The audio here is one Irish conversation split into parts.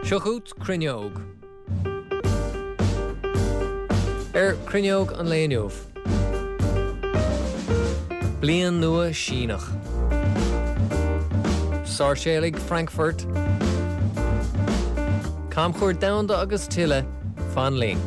Seo chugat Cruinneog. Ar Cruinneog an lae inniu. Bliain Nua Síneach. Sáirséalaigh Frankfurt. Camchuairt Domhanda agus tuilleadh, fan linn.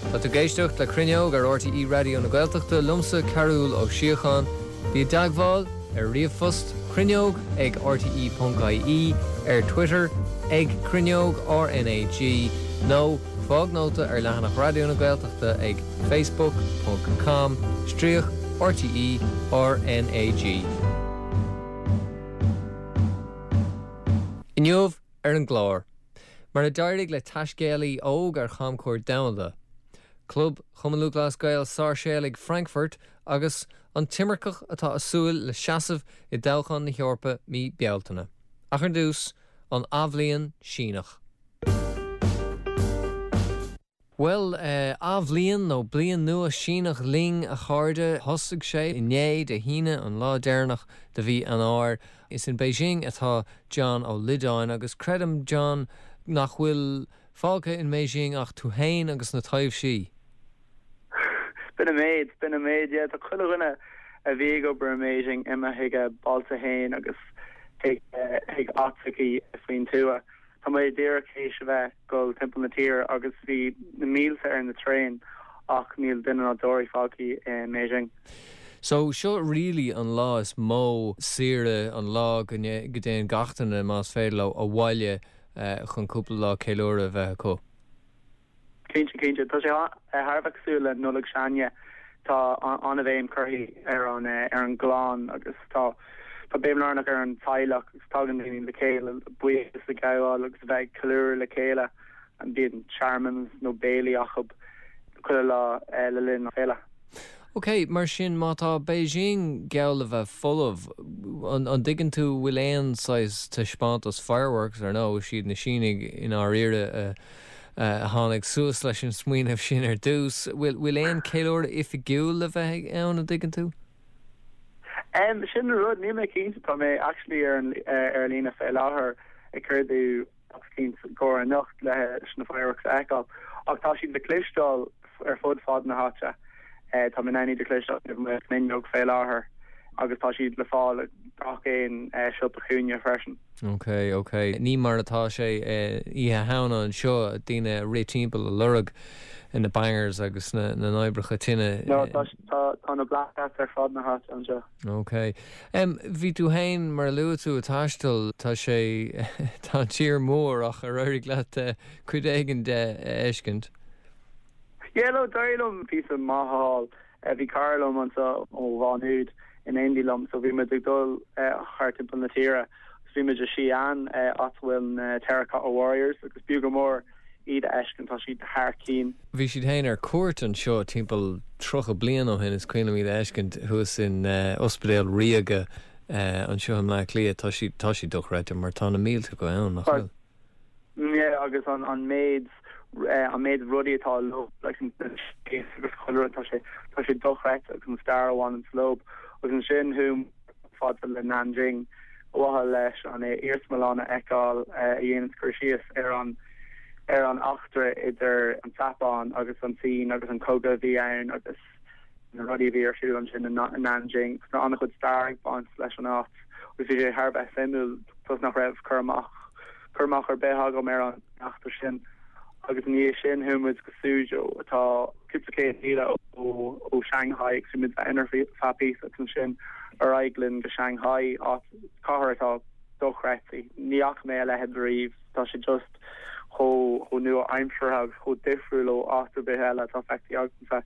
Tá tú ag éisteacht le Cruinneog ar RTÉ Raidió na Gaeltachta, liomsa Cearbhall Ó Síocháin. Bí i dteagmháil ar ríomhphost cruinneog ag rte.ie, ar Twitter ag Cruinneog RnaG nó fág nóta ar leathanach Raidió na Gaeltachta ag facebook ponc com stríoc RTÉ RnaG. Inniu ar an gclár, mar a d'éirigh le taiscéalaí óg ar chamchuairt domhanda, Club Chumann Lúthchleas Gael Sáirséalaigh Frankfurt agus an t-imirceach atá ag súil le seasamh i dtoghchán na hEorpa mí Bealtaine. Ach ar dtús, an Athbhliain Síneach. Bhuel, Athbhliain nó Bliain Nua Síneach linn, a chairde. Thosaigh sé inné, Dé hAoine, an lá deireanach de mhí Eanáir. Is in Beijing atá John Ó Loideáin agus creidim, John, nach bhfuil fágtha in mBeijing ach tú fhéin agus na taibhsí. B'in an méid, b'in an méid, yeah. Tá chuile dhuine a bhí ag obair i mBeijing imithe chuig a bailte fhéin agus chuig áiteachaí faoin tuath. Tá mé díreach théis a bheith dul timpeall na tíre agus bhí na mílte ar na traein ach níl duine ná deoraí fágtha i mBeijing. So seo really an lá is mó saoire, an lá go dtéann gach duine, más féidir leo, abhaile chun cúpla lá ceiliúradh a bheith acu. Cinnte, cinnte. Tá sé thar a bheith cosúil le Nollaig s'againne. Tá an-bhéim curtha ar an ar an gclann agus tá tá béim lárnach ar an teaghlach agus tagann daoine le chéile le buíochas a ghabháil agus a bheith ag ceiliúradh le chéile. Bíonn searmanas nó béilí acu chuile lá le linn na féile. Ok, mar sin má tá Beijing geall le bheith folamh, an dtuigeann tú bhfuil aon saghas taispeántas fireworks, ar ndóigh, siad na Sínigh i ndáiríre a a tháinig suas leis an smaoineamh sin ar dtús. Bhfuil aon ceiliúradh oifigiúil le bheith ann, an dtuigeann tú? Em, sin an rud, níl mé cinnte, tá mé actually ar an ar líne fé láthair ag cuardú eicínt i gcomhair anocht leis na fireworks a fheiceáil, ach tá siad le cloisteáil ar fud fad na háite. Tá mé in ann iad a chloisteáil taobh amuigh den fhuinneog fé láthair agus tá siad le fáil i gach aon siopa cúinne freisin. Ok, ok. Ní mar atá sé Oíche Shamhna anseo, daoine ag rith timpeall ag lorg na bangers agus na n-oibreacha tine. No, tá, tá na Black Cats ar fud na háite anseo. Ok. Em, bhí tú fhéin, mar a luaigh tú, ag taisteal, tá sé, tá an tír mór ach ar éirigh leat cuid éigin de a fheiscint? Yeah, no, d'éirigh liom píosa maith a fháil. Bhí cara liom anseo ó Mhá Nuad in éindí liom so bhí muid ag dul thart timpeall na tíre agus bhí muid i Xi'an, áit a bhfuil na Terracotta Warriors agus b'fhiú go mór iad a fheiscint, tá siad thar cinn. Bhí siad féin ar cuairt anseo timpeall 30 bliain ó shin, is cuimhin liom iad a fheiscint thuas in Ospidéal Ríoga anseo i mBleá Cliath. Tá siad, tá siad dochreidte mar tá na mílte acu ann, nach bhfuil? Yeah agus an an méid an méid rudaí atá leo like an space agus chuile rud tá sé tá sé dochreidte agus an stair a bhaineann leo agus ansin chuaigh fada le Nanjing ar mhaithe leis an iarsmalann a fheiceáil a dhéanann cur síos ar an ar an eachtra idir an tSeapáin agus an tSín agus an cogadh a bhí ann agus na rudaí a bhí ar siúl ansin i Nanjing agus tá an-chuid stair ag baint leis an áit agus bhí sé thar a bheith suimiúil toisc nach raibh cur amach cur amach ar bith agam ar an eachtra sin. Agus ina dhiaidh sin chuaigh muid go Suzhou atá cúpla céad míle ó ó Shanghai agus bhí muid ann ar feadh píosa agus ansin ar aghaidh linn go Shanghai, áit, cathair atá dochreidte. Ní fhaca mé a leithéid riamh, tá sé just chomh chomh nua-aimseartha agus chomh difriúil ó áit ar bith eile atá feicthe agamsa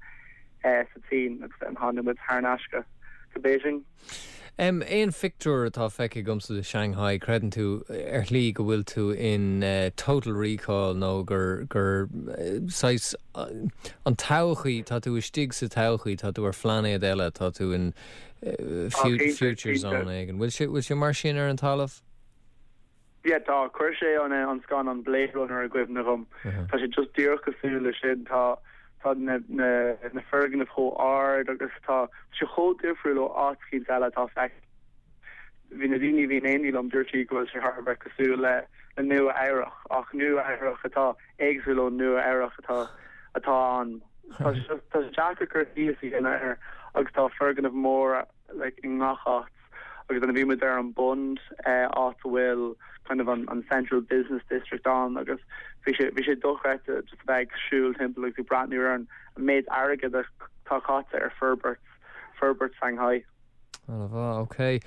sa tSín agus then tháinig muid thar n-ais go go Beijing. M, Aon phictiúr atá feicthe agamsa de Shanghai, creideann tú ar shlí go bhfuil tú in Total Recall nó gur gur saghas an todhchaí, tá tú istigh sa todhchaí, tá tú ar phlainéad eile, tá tú in Á, cinnte, future cinnte. zone éigin. Bhfuil sé, bhfuil sé mar sin ar an talamh? Yeah, tá. Chuir sé an an scannán Blade Runner i gcuimhne dhom. Tá sé just díreach cosúil le sin. Tá tá na na na foirgnimh chomh ard agus tá sé chomh difriúil ó áit eicínt eile atá feicthe. Bhí na daoine a bhí in éindí liom, dúirt siad go bhfuil sé thar a bheith cosúil le le Nua Eabhrach ach Nua Eabhrach atá éagsúil ó Nua Eabhrach atá atá ann. Tá sé just tá sé deacair cur síos a dhéanamh air agus tá foirgnimh mhóra like i ngach áit agus then bhí muid ar an Bund áit a bhfuil kind of an an central business district ann agus bhí sé bhí sé dochreidte just a bheith ag siúl timpeall agus ag breathnú ar an méid airgead atá caite ar forbairt forbairt Shanghai. An-mhaith, ok.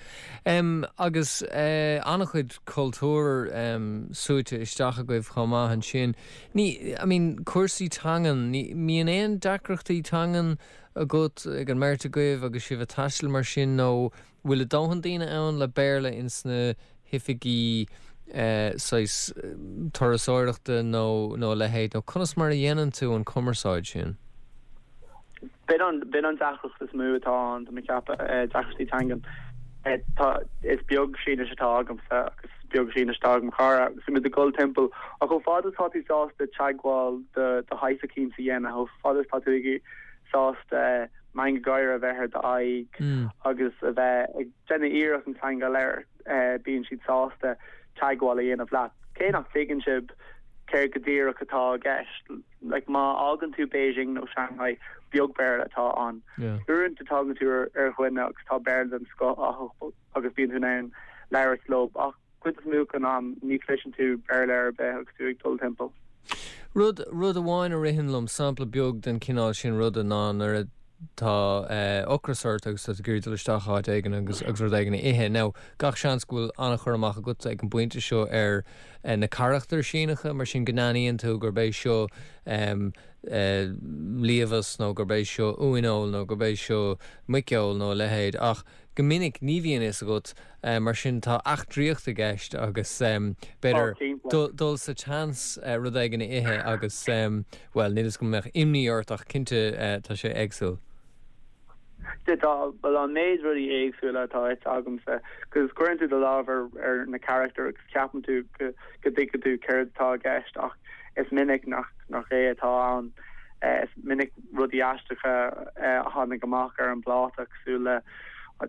Em agus eh an-chuid cultúr em súite isteach agaibh chomh maith ansin. Ní, I mean, cúrsaí teangan, ní, mbíonn aon deacrachtaí teangan agat, ag an mbeirt agaibh agus sibh ag taisteal mar sin nó bhfuil a dóthain daoine ann le Béarla ins na hoifigí eh saghas turasóireachta nó nó a leithéid nó conas mar a dhéanann tú an cumarsáid sin? B'in an, b'in an deacracht is mó atá ann, tá mé ag ceapadh, deacrachtaí teangan. Tá, is beag Sínis atá agamsa agus is beag Sínis atá ag mo chara agus bhí muid ag dul timpeall ach chomh fada is atá tú sásta teagmháil de de shaghas eicínt a dhéanamh, chomh fada is atá tú ag sásta meangadh gáire a bheith ar d'aghaidh agus a bheith ag déanamh iarracht an teanga a labhairt, bíonn siad sásta teagmháil a dhéanamh leat. Cé nach dtuigeann sibh céard go díreach atá i gceist, like má fhágann tú Beijing nó Shanghai, beag Béarla atá ann. Uaireanta tagann tú ar dhuine agus tá Béarla den scoth acu agus bíonn tú in ann labhairt leo ach cuid is mó den am ní chloiseann tú Béarla ar bith agus tú ag dul timpeall. Rud, rud amháin a ritheann liom, sampla beag den chineál sin ruda ná nuair atá ocras ort agus tá tú ag iarraidh dul isteach áit éigin agus agus rud éigin a ithe. Now, gach seans go bhfuil an-chur amach agat ag an bpointe seo ar na carachtair Síneacha, mar sin go n-aithníonn tú gurb é seo liamhás nó gurb é seo uaineoil nó gurb é seo muiceoil nó a leithéid ach go minic ní bhíonn fhios agat, mar sin tá eachtraíocht i gceist agus b'fhéidir dul sa tseans rud éigin a ithe agus, bhuel, níl fhios agam an mbeadh imní ort ach cinnte tá sé éagsúil. Tá, bhuel an méid rudaí éagsúla atá ite agamsa, 'cause cuireann tú do lámh ar ar na carachtair agus ceapann tú go go dtuigeann tú céard atá i gceist ach is minic nach nach é atá ann. Is minic rudaí aisteacha a tháinig amach ar an bpláta cosúil le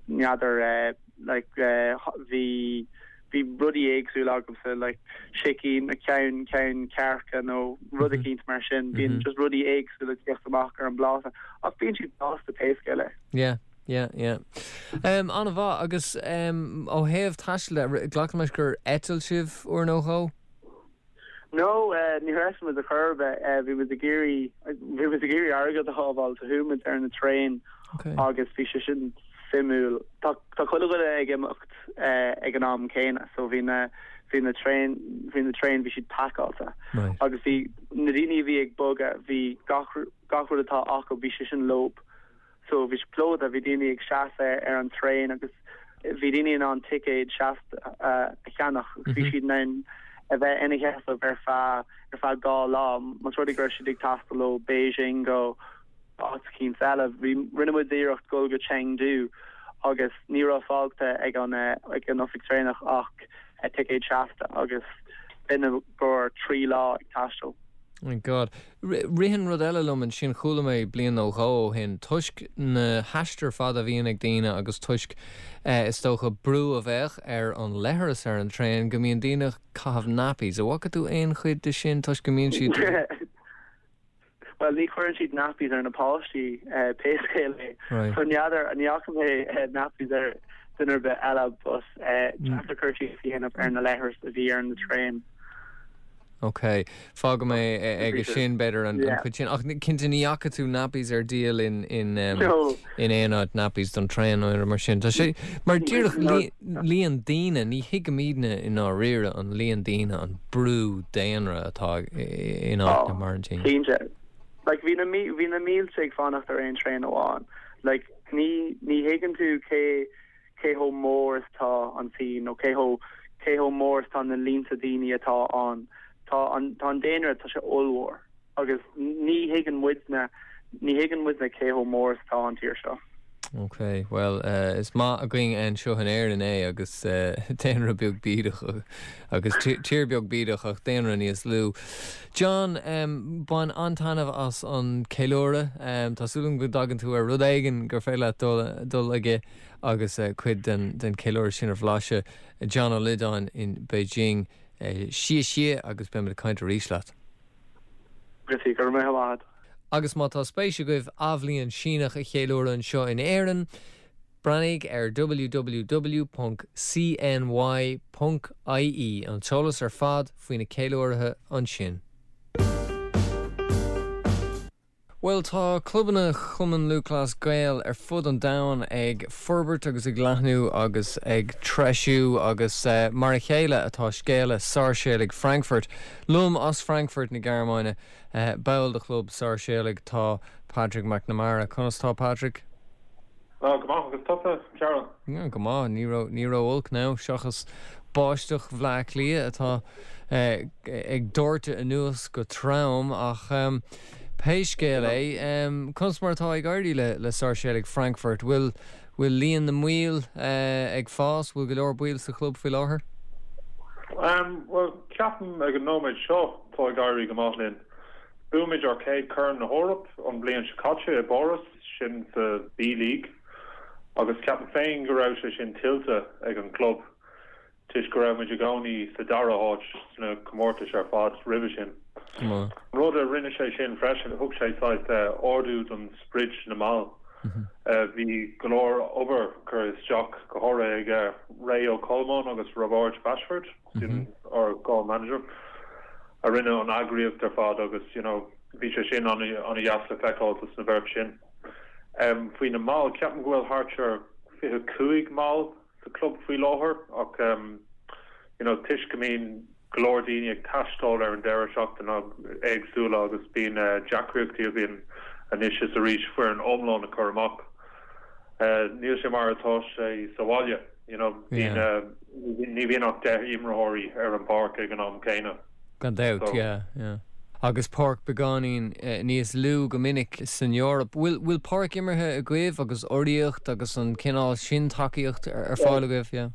n'fheadar like bhí bhí rudaí éagsúla agamsa like sicín ceann ceann cearca nó rud eicínt mar sin. Bíonn just rudaí éagsúla ag teacht amach ar an bpláta ach bíonn siad blasta pé scéal é. Yeah. Yeah, yeah. Um, an-mhaith agus um, ó thaobh taistil de, glacaim leis gur eitil sibh uair nó dhó? No, níor eitil muid ar chor ar bith. Bhí muid ag iarraidh, bhí muid ag iarraidh airgead a shábháil so chuaigh muid ar na traein agus bhí sé sin suimiúil. Tá tá chuile dhuine ag imeacht ag an am céanna so bhí na bhí na traein bhí na traein bhí siad pacáilte agus bhí na daoine a bhí ag bogadh bhí gach gach rud atá acu bhí sé sin leo. So bhí sé plódaithe, bhí daoine ag seasamh ar an traein agus bhí daoine in ann ticéad seasta a cheannach agus bhí siad in ann a bheith ina sheasamh ar feadh ar feadh 2 lá más rud é go raibh siad ag taisteal ó Beijing go áit eicínt eile. Bhí rinne muid iarracht dul go Chengdu agus ní raibh fágtha ag an ag an oifig traenach ach ticéad seasta agus b'in i gcomhair 3 lá ag taisteal. My God. Ritheann rud eile liom ansin, chuala mé bliain nó dhó ó shin, toisc na haistir fada a bhíonn ag daoine agus toisc, is dócha, brú a bheadh ar an leithreas ar an traein, go mbíonn daoine ag caitheamh nappies. An bhfaca tú aon chuid de sin toisc go mbíonn siad. Bhuel, ní chuireann siad nappies ar na páistí, pé scéal é. So n'fheadar, ní fhaca mé nappies ar duine ar bith eile but deacair cur síos a dhéanamh ar na leithris a bhí ar na traein. Ok. Fágfaidh mé aige sin, b'fhéidir, an chuid sin. Ach cinnte, ní fhaca tú nappies ar díol in in in aon áit, nappies don traein nó aon rud mar sin. Tá sé mar díreach líon daoine, ní thuigimidne i ndáiríre an líon daoine, an brú daonra atá in áiteanna mar an tSín. Cinnte. Like, bhí na bhí na mílte ag fanacht ar aon traein amháin. Like, ní ní thuigeann tú cé cé chomh mór is atá an tSín nó cé chomh cé chomh mór is atá na línte daoine atá ann. Tá an tá an daonra tá sé ollmhór agus ní thuigeann muidne ní thuigeann muidne cé chomh mór is atá an tír seo. Ok, bhuel, is maith againn anseo in Éirinn é agus daonra beag bídeach agus tír beag bídeach ach daonra níos lú. John, bain an-taitneamh as an ceiliúradh. Tá súil agam go dtagann tú ar rud éigin gur féidir leat dul aige agus cuid den cheiliúradh sin a bhlaiseadh. John Ó Loideáin in Beijing. Xie xie agus beimid ag caint arís leat. Go raibh maith agat. Agus má tá spéis agaibh Athbhliain Síneach a cheiliúradh anseo in Éirinn, breathnaigh ar www.cny.ie, an t-eolas ar fad faoi na ceiliúraithe ansin. Bhuel, tá clubanna Chumann Lúthchleas Gael ar fud an domhain ag forbairt agus ag leathnú agus ag treisiú agus mar a chéile atá scéala Sáirséalaigh Frankfurt. Liom as Frankfurt na Gearmáine, ball de chlub Sáirséalaigh, tá Patrick McNamara. Conas tá Patrick? Go maith, agus tusa, Cearbhall? Go maith, ní ró, ní ró-olc now, seachas báisteach Bhleá Cliath atá ag doirteadh anuas go trom, ach pé scéal é, conas mar atá ag éirí le le Sáirséalaigh Frankfurt? Bhfuil, bhfuil líon na mbaill ag fás? Bhfuil go leor baill sa chlub faoi láthair? Bhuel, ceapaim ag an nóiméad seo tá ag éirí go maith linn. Bhuaigh muid ár chéad Chorn na hEorpa an bhliain seo caite i bPáras. sin sa B League agus ceapaim féin go raibh sé sin tuillte ag an gclub toisc go raibh muid i gcónaí sa dara háit sna comórtais ar fad roimhe sin. An rud a rinne sé sin freisin, thug sé saghas ardú don sprid na mball. Bhí go leor obair curtha isteach, go háirithe ag Ray Ó Colmáin agus Roibeárd Bashford, sin ár dhá manager, a rinne an eagraíocht ar fad agus you know, Bhí sé sin an-dheas le feiceáil dos na bheirt sin. Faoi na mbaill, ceapaim go bhfuil thart ar 25 mball sa club faoi láthair ach you know toisc go mbíonn go leor daoine ag taisteal ar an deireadh seachtaine éagsúla agus bíonn deacraíochtaí againn anois is arís foireann iomlán a chur amach. Níl sé mar atá sé sa bhaile, you know, bíonn ní bhíonn ach 10 imreoirí ar an bpáirc ag an am céanna. Gan dabht, yeah, yeah. Agus páirc beagáinín níos lú go minic san Eoraip. Bhfuil, bhfuil páirc imeartha agaibh agus urraíocht agus an cineál sin tacaíocht ar fáil agaibh, yeah?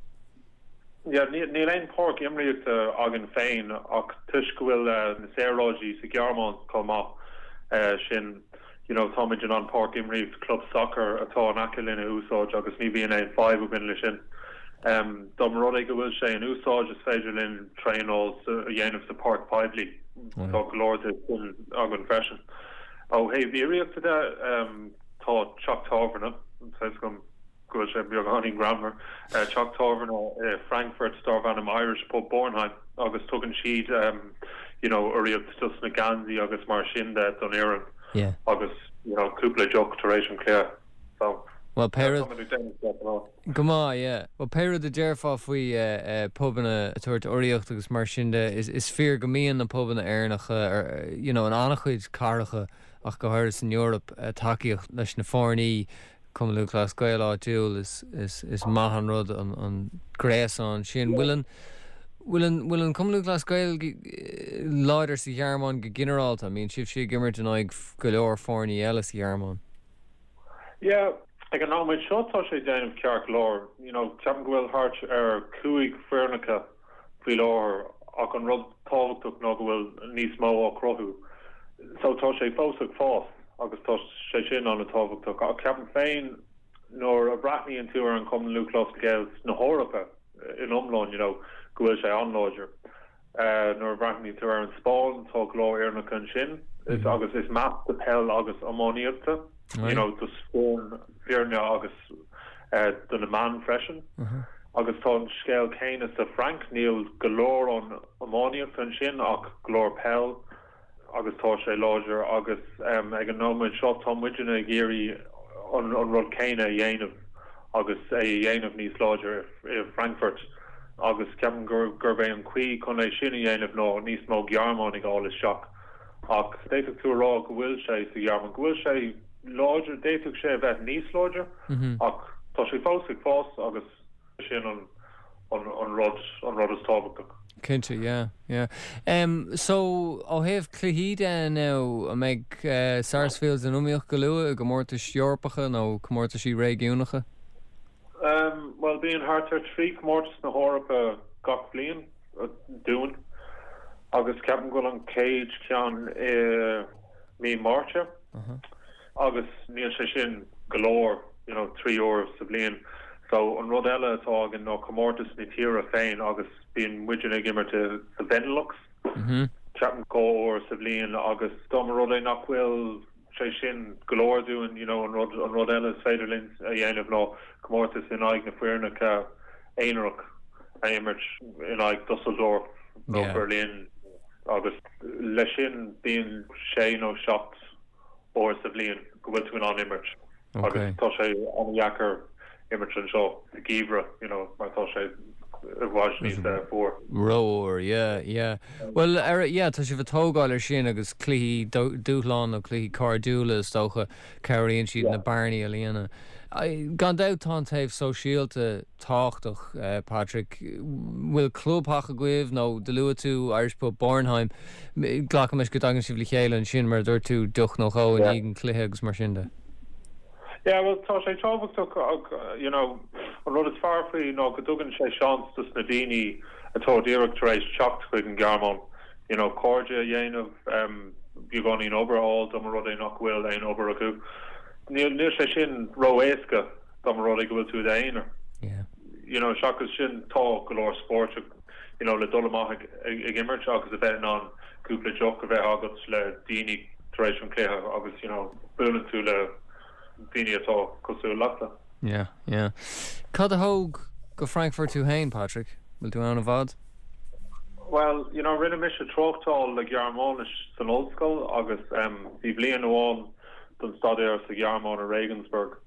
Yeah, níl, níl aon páirc imríochta againn féin ach toisc go bhfuil na saoráidí sa Ghearmáin chomh maith sin, you know, táimid in ann páirc imríocht club sacair atá in aice linn a úsáid agus ní bhíonn aon fadhb againn le sin. Dá mba rud é go bhfuil sé in úsáid, is féidir linn traenáil a dhéanamh sa páirc poiblí. Tá go leor de sin againn freisin. Ó thaobh urraíochta de, tá teach tábhairne, tá fhios agam go bhfuil sé beagáinín greannmhar, teach tábhairne i Frankfurt darb ainm Irish Pub Bornheim agus tugann siad you know urraíocht dos na geansaí agus mar sin de don fhoireann agus you know cúpla deoch tar éis an chluiche. So, Well, pé rud. Táimid ag déanamh deas an áit. Go maith, yeah. Bhuel, pé rud a déarfá faoi pubanna ag tabhairt urraíocht agus mar sin de, is fíor go mbíonn na pubanna Éireannacha, you know, in an-chuid cathracha ach go háirithe san Eoraip, tacaíocht leis na foirní, Cumann Lúthchleas Gael áitiúil, is, is, is maith an rud an, an gréasán sin. Bhfuil an, bhfuil an, bhfuil an Cumann Lúthchleas Gael láidir sa Ghearmáin go ginearálta? An mbíonn sibhse ag imirt in aghaidh go leor foirní eile sa Ghearmáin? Yeah, ag an nóiméad seo tá sé ag déanamh ceart go leor. You know, ceapaim go bhfuil thart ar 15 foirneacha faoi láthair ach an rud tábhachtach ná go bhfuil níos mó á cruthú. So tá sé fós ag fás agus tá sé sin an-tábhachtach. Ach ceapaim féin nuair a bhreathnaíonn tú ar an Chumann Lúthchleas Gael na hEorpa in iomlán, you know, go bhfuil sé an-láidir. Nuair a bhreathnaíonn tú ar an Spáinn, tá go leor fhoirneacha ansin agus is measctha peil agus iománaíochta, you know, dos foirne agus do na mean freisin. Agus tá an scéal céanna sa Frainc, níl go leor an iománaíochta ansin ach go leor peil. agus tá sé láidir agus ag an nóiméad seo tá muidne ag iarraidh an rud céanna a dhéanamh agus é a dhéanamh níos láidre i Frankfurt agus ceapaim gurb é an chaoi chun é sin a dhéanamh ná níos mó Gearmánaigh a fháil isteach ach d'fhéadfadh tú a rá go bhfuil sé sa Ghearmáin, go bhfuil sé láidir, d'fhéadfadh sé a bheith níos láidre ach tá sé fós ag fás agus. Sin an rud, an rud is tábhachtach. Cinnte, yeah, yeah. Em, so, ó thaobh cluichí de now, an mbeidh Sarsfields in iomaíocht go luath i gcomórtais Eorpacha nó comórtaisí réigiúnacha? Em, bhuel, bíonn thart ar 3 comórtas na hEorpa gach bliain dúinn agus ceapaim go bhfuil an chéad cheann i mí Márta agus níl sé sin go leor, you know, 3 uair sa bhliain. So, an rud eile atá againn ná comórtas na tíre féin agus bíonn muidne ag imirt i sa Bhenelux, ceapaim 2 uair sa bhliain agus dá mba rud é nach bhfuil sé sin go leor dúinn, you know, an rud, an rud eile is féidir linn a dhéanamh ná comórtas in aghaidh na foirneacha aonarach a imirt in aghaidh Dusseldorf nó Berlin agus leis sin bíonn sé nó 7 uair sa bhliain go bhfuil tú in ann imirt agus tá sé an-dheacair imirt anseo sa gheimhreadh you know mar tá sé i bhfad níos fuar. Rófhuar, yeah, yeah. Bhuel, ar, yeah, tá sibh ag tógáil ar sin agus cluichí dúshláin nó cluichí cairdiúla is dócha, cabhraíonn siad na bearnaí a líonadh. Gan dabht tá an taobh sóisialta tábhachtach, Patrick. Bhfuil clubtheach agaibh nó do luaigh tú Irish Pub Bornheim, glacaim leis go dtagann sibh le chéile ansin mar a dúirt tú, deoch nó dhó i ndiaidh an chluiche agus mar sin de. Yeah, bhuel tá sé tábhachtach ach you know an rud is fearr faoi ná go dtugann sé seans dos na daoine atá díreach tar éis teacht chuig an Ghearmáin you know cairde a dhéanamh, beagáinín obair a fháil dá mba rud é nach bhfuil aon obair acu. Níl níl sé sin ró-éasca dá mba rud é go bhfuil tú i d'aonar. Yeah. You know seachas sin tá go leor spóirt you know le dul amach ag ag imirt agus a bheith in ann cúpla deoch a bheith agat le daoine tar éis an chluiche agus you know buaileann tú le daoine atá cosúil leatsa. Yeah, yeah. Cad a thóg go Frankfurt tú féin, Patrick? Bhfuil tú ann i bhfad? Bhuel, you know, rinne mise tráchtáil le Gearmáinis san ollscoil agus em bhí bliain amháin don staidéar sa Ghearmáin i Regensburg.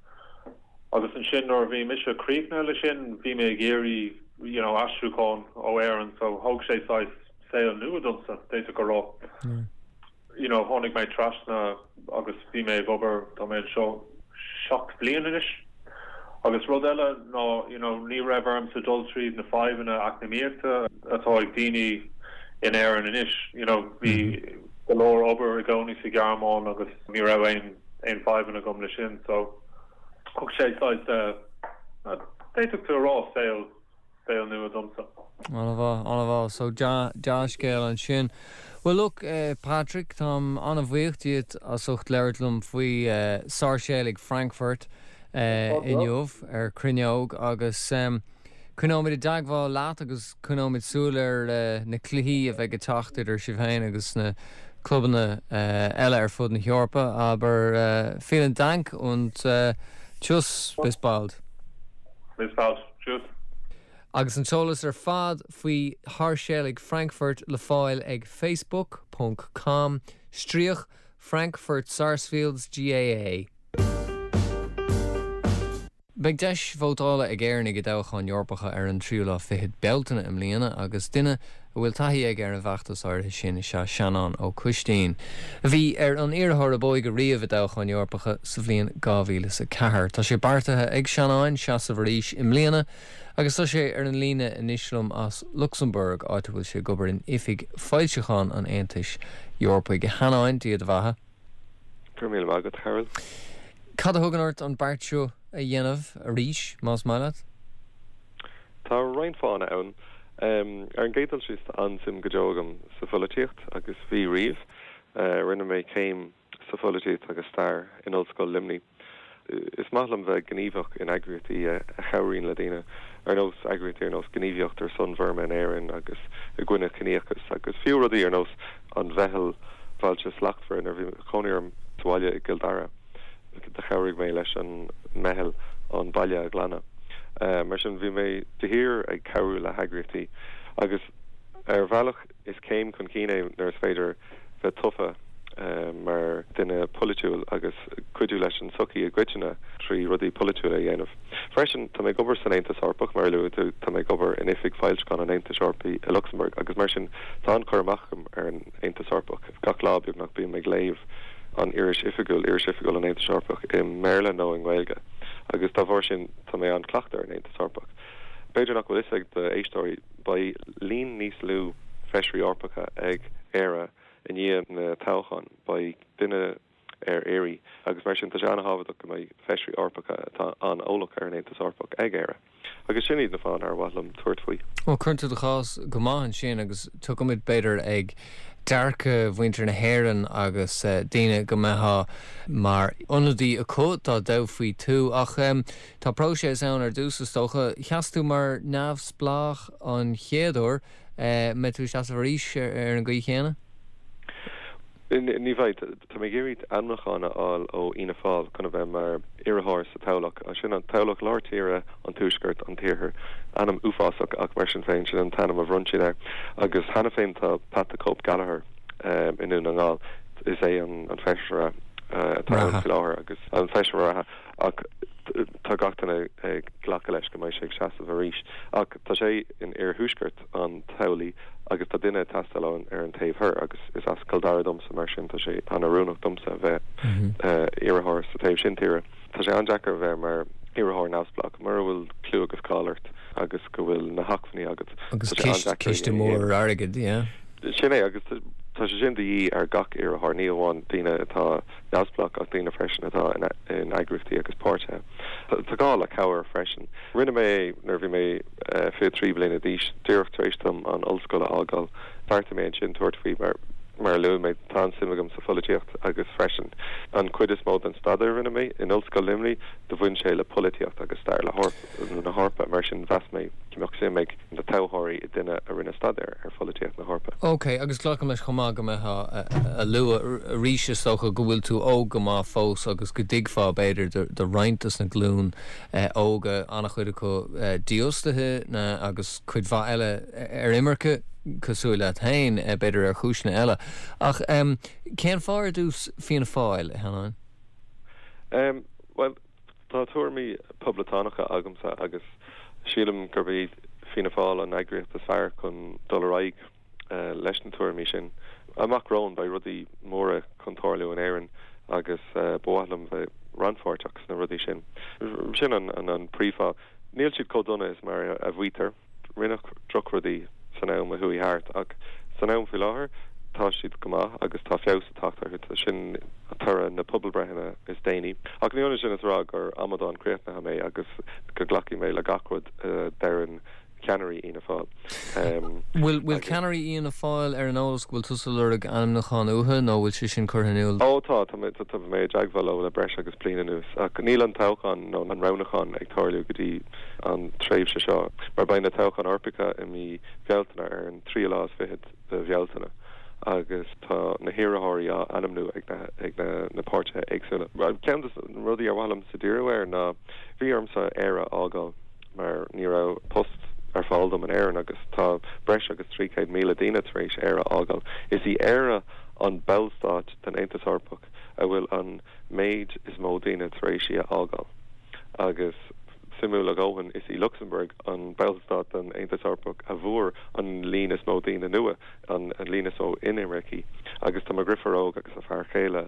Agus ansin nuair a bhí mise críochnaithe le sin, bhí mé ag iarraidh you know aistriúchán ó Éirinn so thóg sé saghas saol nua domsa, d'fhéadfadh a rá. You know tháinig mé trasna agus bhí mé ag obair, tá mé anseo 7 bliain anois. Agus rud eile ná you know ní raibh ormsa dul tríd na fadhbanna eacnamaíochta atá ag daoine in Éirinn anois, you know bhí go leor obair i gcónaí sa Ghearmáin agus ní raibh aon aon fadhbanna agam le sin so thug sé saghas d'fhéadfadh tú a rá saol saol nua domsa. An-mhaith, an-mhaith. So dea-scéal ansin. Bhuel look, Patrick, táim an-bhuíoch díot as ucht labhairt liom faoi Sáirséalaigh Frankfurt inniu ar Cruinneog agus coinneoimid i dteagmháil leat agus Coinneoimid súil ar na cluichí a bheidh ag teacht idir sibh féin agus na clubanna eile ar fud na hEorpa. Aber vielen Dank und tschüss, bis bald. Bis bald. Tschüss. Agus an t-eolas ar fad faoi Sháirséalaigh Frankfurt le fáil ag facebook ponc com stríoc Frankfurt Sarsfields GAA. Beidh deis vótála ag Éireannaigh i dtoghcháin Eorpacha ar an tríú lá fichead Bealtaine i mbliana agus duine a bhfuil taithí aige ar an bhfeachtas áirithe sin is ea Seanán Ó Coistín, a bhí ar an iarrthóir ab óige riamh i dtoghchán Eorpacha sa bhliain 2004. Tá sé beartaithe ag Seanán seasamh arís i mbliana agus tá sé ar an líne anois liom as Lucsamburg, áit a bhfuil sé ag obair in Oifig Foilseachán an Aontais Eorpaigh. A Sheanáin, Dia do bheatha. Go raibh míle maith agat, a Chearbhaill. Cad a thugann ort an beart seo a dhéanamh arís, más maith leat? Tá roinnt fáthanna ann. Ar an gcéad dul síos, tá an-suim go deo agam sa pholaitíocht agus bhí riamh. Rinne mé céim sa pholaitíocht agus stair in Ollscoil Luimnigh. Is maith liom bheith gníomhach in eagraíochtaí a chabhraíonn le daoine, ar nós eagraíochtaí ar nós Gníomhaíocht ar son Bhurma in Éirinn agus i gcoinne ciníochas agus fiú rudaí ar nós an Mheitheal Bhailte Slachtmhara. Nuair a bhí cónaí orm sa bhaile i gCill Dara, do chabhraigh mé leis an meitheal an baile a ghlanadh. Mar sin, bhí mé de shíor ag cabhrú le heagraíochtaí agus ar bhealach, Is céim chun cinn é nuair is féidir bheith tofa mar duine polaitiúil agus cuidiú leis an tsochaí i gcoitinne trí rudaí polaitiúla a dhéanamh. Freisin, tá mé ag obair san Aontas Eorpach, mar a luaigh tú, tá mé ag obair in Oifig Foilseachán an Aontais Eorpaigh i Lucsamburg agus mar sin tá an-chur amach agam ar an Aontas Eorpach. Gach lá, beagnach, bím ag léamh an iris oifigiúil, iris oifigiúil an Aontais Eorpach i mBéarla nó i nGaeilge agus dá bharr sin tá mé an-chleachta ar an Aontas Eorpach. B'fhéidir nach bhfuil fhios ag do éisteoirí, beidh líon níos lú Feisirí Eorpacha ag Éire i ndiaidh na toghchán. Beidh duine ar iarraidh agus mar sin tá sé an-thábhachtach go mbeidh Feisirí Eorpacha atá an-eolach ar an Aontas Eorpach ag Éire. Agus sin iad na fáthanna ar mhaith liom tabhairt faoi. Bhuel, cuireann tú do chás go maith ansin agus tiocfaimid, b'fhéidir, ag dearcadh mhuintir na hÉireann agus daoine go mbeifeá mar ionadaí acu dá dtoghfaí tú. Ach tá próiseas ann ar dtús, is dócha. Sheas tú mar neamhspleách an chéad uair. Mbeidh tú ag seasamh arís ar an gcaoi chéanna? Ní bheidh. Tá mé ag iarraidh ainmniúchán a fháil ó Fhianna Fáil chun a bheith mar iarrthóir sa toghlach. Sin an toghlach lár tíre, an tuaisceart, an t-iarthar. Ainm uafásach ach mar sin féin, sin an t-ainm a bhronn siad air. Agus cheana féin tá Pat the Cope Gallagher i nDún na nGall. Is é an feisire atá ann faoi láthair agus an feisire reatha ach tá gach duine ag glacadh leis go mbeidh sé ag seasamh arís. Ach tá sé in iarthuaisceart an toghlaigh agus tá duine ag teastáil ann ar an taobh thoir agus is as Cill Dara domsa mar sin tá sé an-oiriúnach domsa a bheith iarrthóir sa taobh sin tíre. Tá sé an-deacair a bheith mar iarrthóir neamhspleách mura bhfuil clú agus cáil ort agus go bhfuil na hacmhainní agat. Agus ciste mór airgid, yeah. Sin é agus tá sé sin de dhíth ar gach iarrthóir, ní amháin daoine atá neamhspleách ach daoine freisin atá in eagraíochtaí agus páirtithe. Tá gá le cabhair freisin. Rinne mé é nuair a bhí mé 23 bliana d'aois, díreach tar éis dom an ollscoil a fhágáil. Bheartaigh mé ansin tabhairt faoi mar, mar a luaigh mé, tá an-suim agam sa pholaitíocht agus freisin an chuid is mó den staidéar a rinne mé in Ollscoil Luimnigh, do bhain sé le polaitíocht agus stair na hEorpa. Mar sin mheas mé go mbeadh suim ag na toghthóirí i duine a rinne staidéar ar pholaitíocht na hEorpa. Ok, agus glacaim leis chomh maith go mbeifeá a lua arís is dócha go bhfuil tú óg go maith fós agus go dtuigfeá b'fhéidir do roinnt dos na glúin óga, an-chuid acu dífhostaithe agus cuid mhaith eile ar imirce, cosúil leat féin, b'fhéidir ar chúiseanna eile. Ach cén fáth ar dtús Fianna Fáil, a Sheanáin? Bhuel, tá tuairimí poblachtánacha agamsa agus sílim gurb iad Fianna Fáil an eagraíocht is fearr chun dul ar aghaidh leis na tuairimí sin. Amach romhainn beidh rudaí móra chun tarlú in Éirinn agus ba mhaith liom bheith rannpháirteach sna rudaí sin. Sin an príomhfháth. Níl siad chomh dona is mar a mhaítear. Rinneadh drochrudaí san am a chuaigh thart ach san am faoi láthair tá siad go maith agus tá feabhas ag teacht orthu. Sin toradh na pobalbreitheanna is déanaí. Ach ní hionann sin is a rá gur amadán críochnaithe mé agus go nglacfaidh mé le gach rud a deireann ceannairí Fhianna Fáil. Bhfuil bhfuil ceannairí Fhianna Fáil ar an eolas go bhfuil tusa ag lorg ainmniúchán uathu nó bhfuil sé sin curtha in iúl? Ó tá, tá mé tá mé i dteagmháil leo le breis agus bliain anuas ach níl an toghchán nó an roghnúchán ag tarlú go dtí an tréimhse seo mar beidh na toghcháin Eorpacha i mí Bhealtaine ar an tríú lá is fichead de Bhealtaine agus tá na hiarrthóirí á ainmniú ag na ag na na páirtithe éagsúla. Ceann de na rudaí ar mhaith liomsa díriú air ná bhí ormsa Éire a fhágáil. mar ní raibh post ar fáil dom in Éirinn agus tá breis agus 300,000 daoine tar éis Éire a fhágáil. Is í Éire an ballstát den Aontas Eorpach a bhfuil an méid is mó daoine tar éis í a fhágáil. Agus suimiúil a dhóthain, is í Lucsamburg an ballstát den Aontas Eorpach a bhfuair an líon is mó daoine nua, an líon is mó inimircigh. Agus tá mo dheirfiúr óg agus a fear céile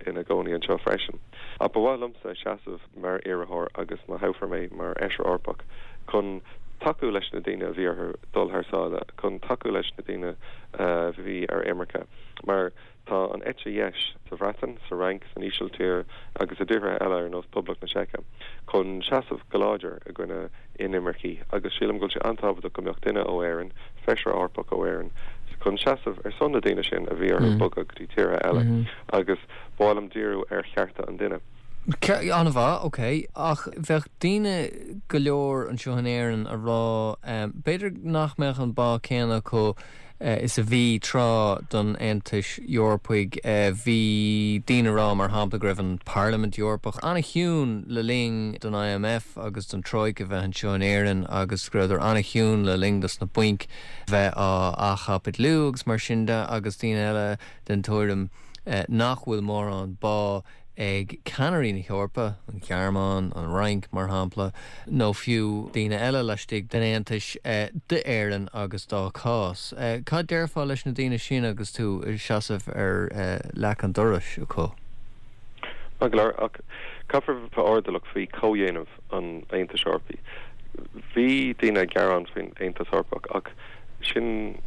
ina gcónaí anseo freisin. Ach ba mhaith liomsa seasamh mar iarrthóir agus má thoghfar mé mar Fheisire Eorpach chun tacú leis na daoine a bhí orthu dul thar sáile, chun tacú leis na daoine a bhí ar imirce. Mar tá an eite dheis sa Bhreatain, sa Fhrainc, san Ísiltír agus i dtíortha eile ar nós Poblacht na Seice chun seasamh go láidir i gcoinne inimircigh agus sílim go bhfuil sé an-tábhachtach go mbeadh duine ó Éirinn, Feisire Eorpach ó Éirinn, chun seasamh ar son na daoine sin a bhí orthu bogadh go dtí tíortha eile agus ba mhaith liom díriú ar chearta an duine. An-mhaith, ok. Ach bheadh daoine go leor anseo in Éirinn a rá, b'fhéidir nach mbeadh an bá céanna acu is a bhí tráth don Aontais Eorpaigh. Bhí daoine a rá, mar shampla, go raibh an Parlaimint Eorpach an-chiúin le linn don IMF agus don Troika bheith anseo in Éirinn agus go rabhadar an-chiúin le linn dos na bainc bheith á athchaipitliú agus mar sin de agus daoine eile den tuairim nach bhfuil mórán bá ag ceannairí na hEorpa, an Ghearmáin, an Fhrainc, mar shampla, nó fiú daoine eile laistigh den Aontais, d'Éirinn agus dá cás. Cad déarfá leis na daoine sin agus tú ag seasamh ar leac an dorais acu? Maith go leor, ach caithfear bheith airdeallach faoi chomhdhéanamh an Aontais Eorpaigh. Bhí daoine ag gearán faoin Aontas Eorpach ach sin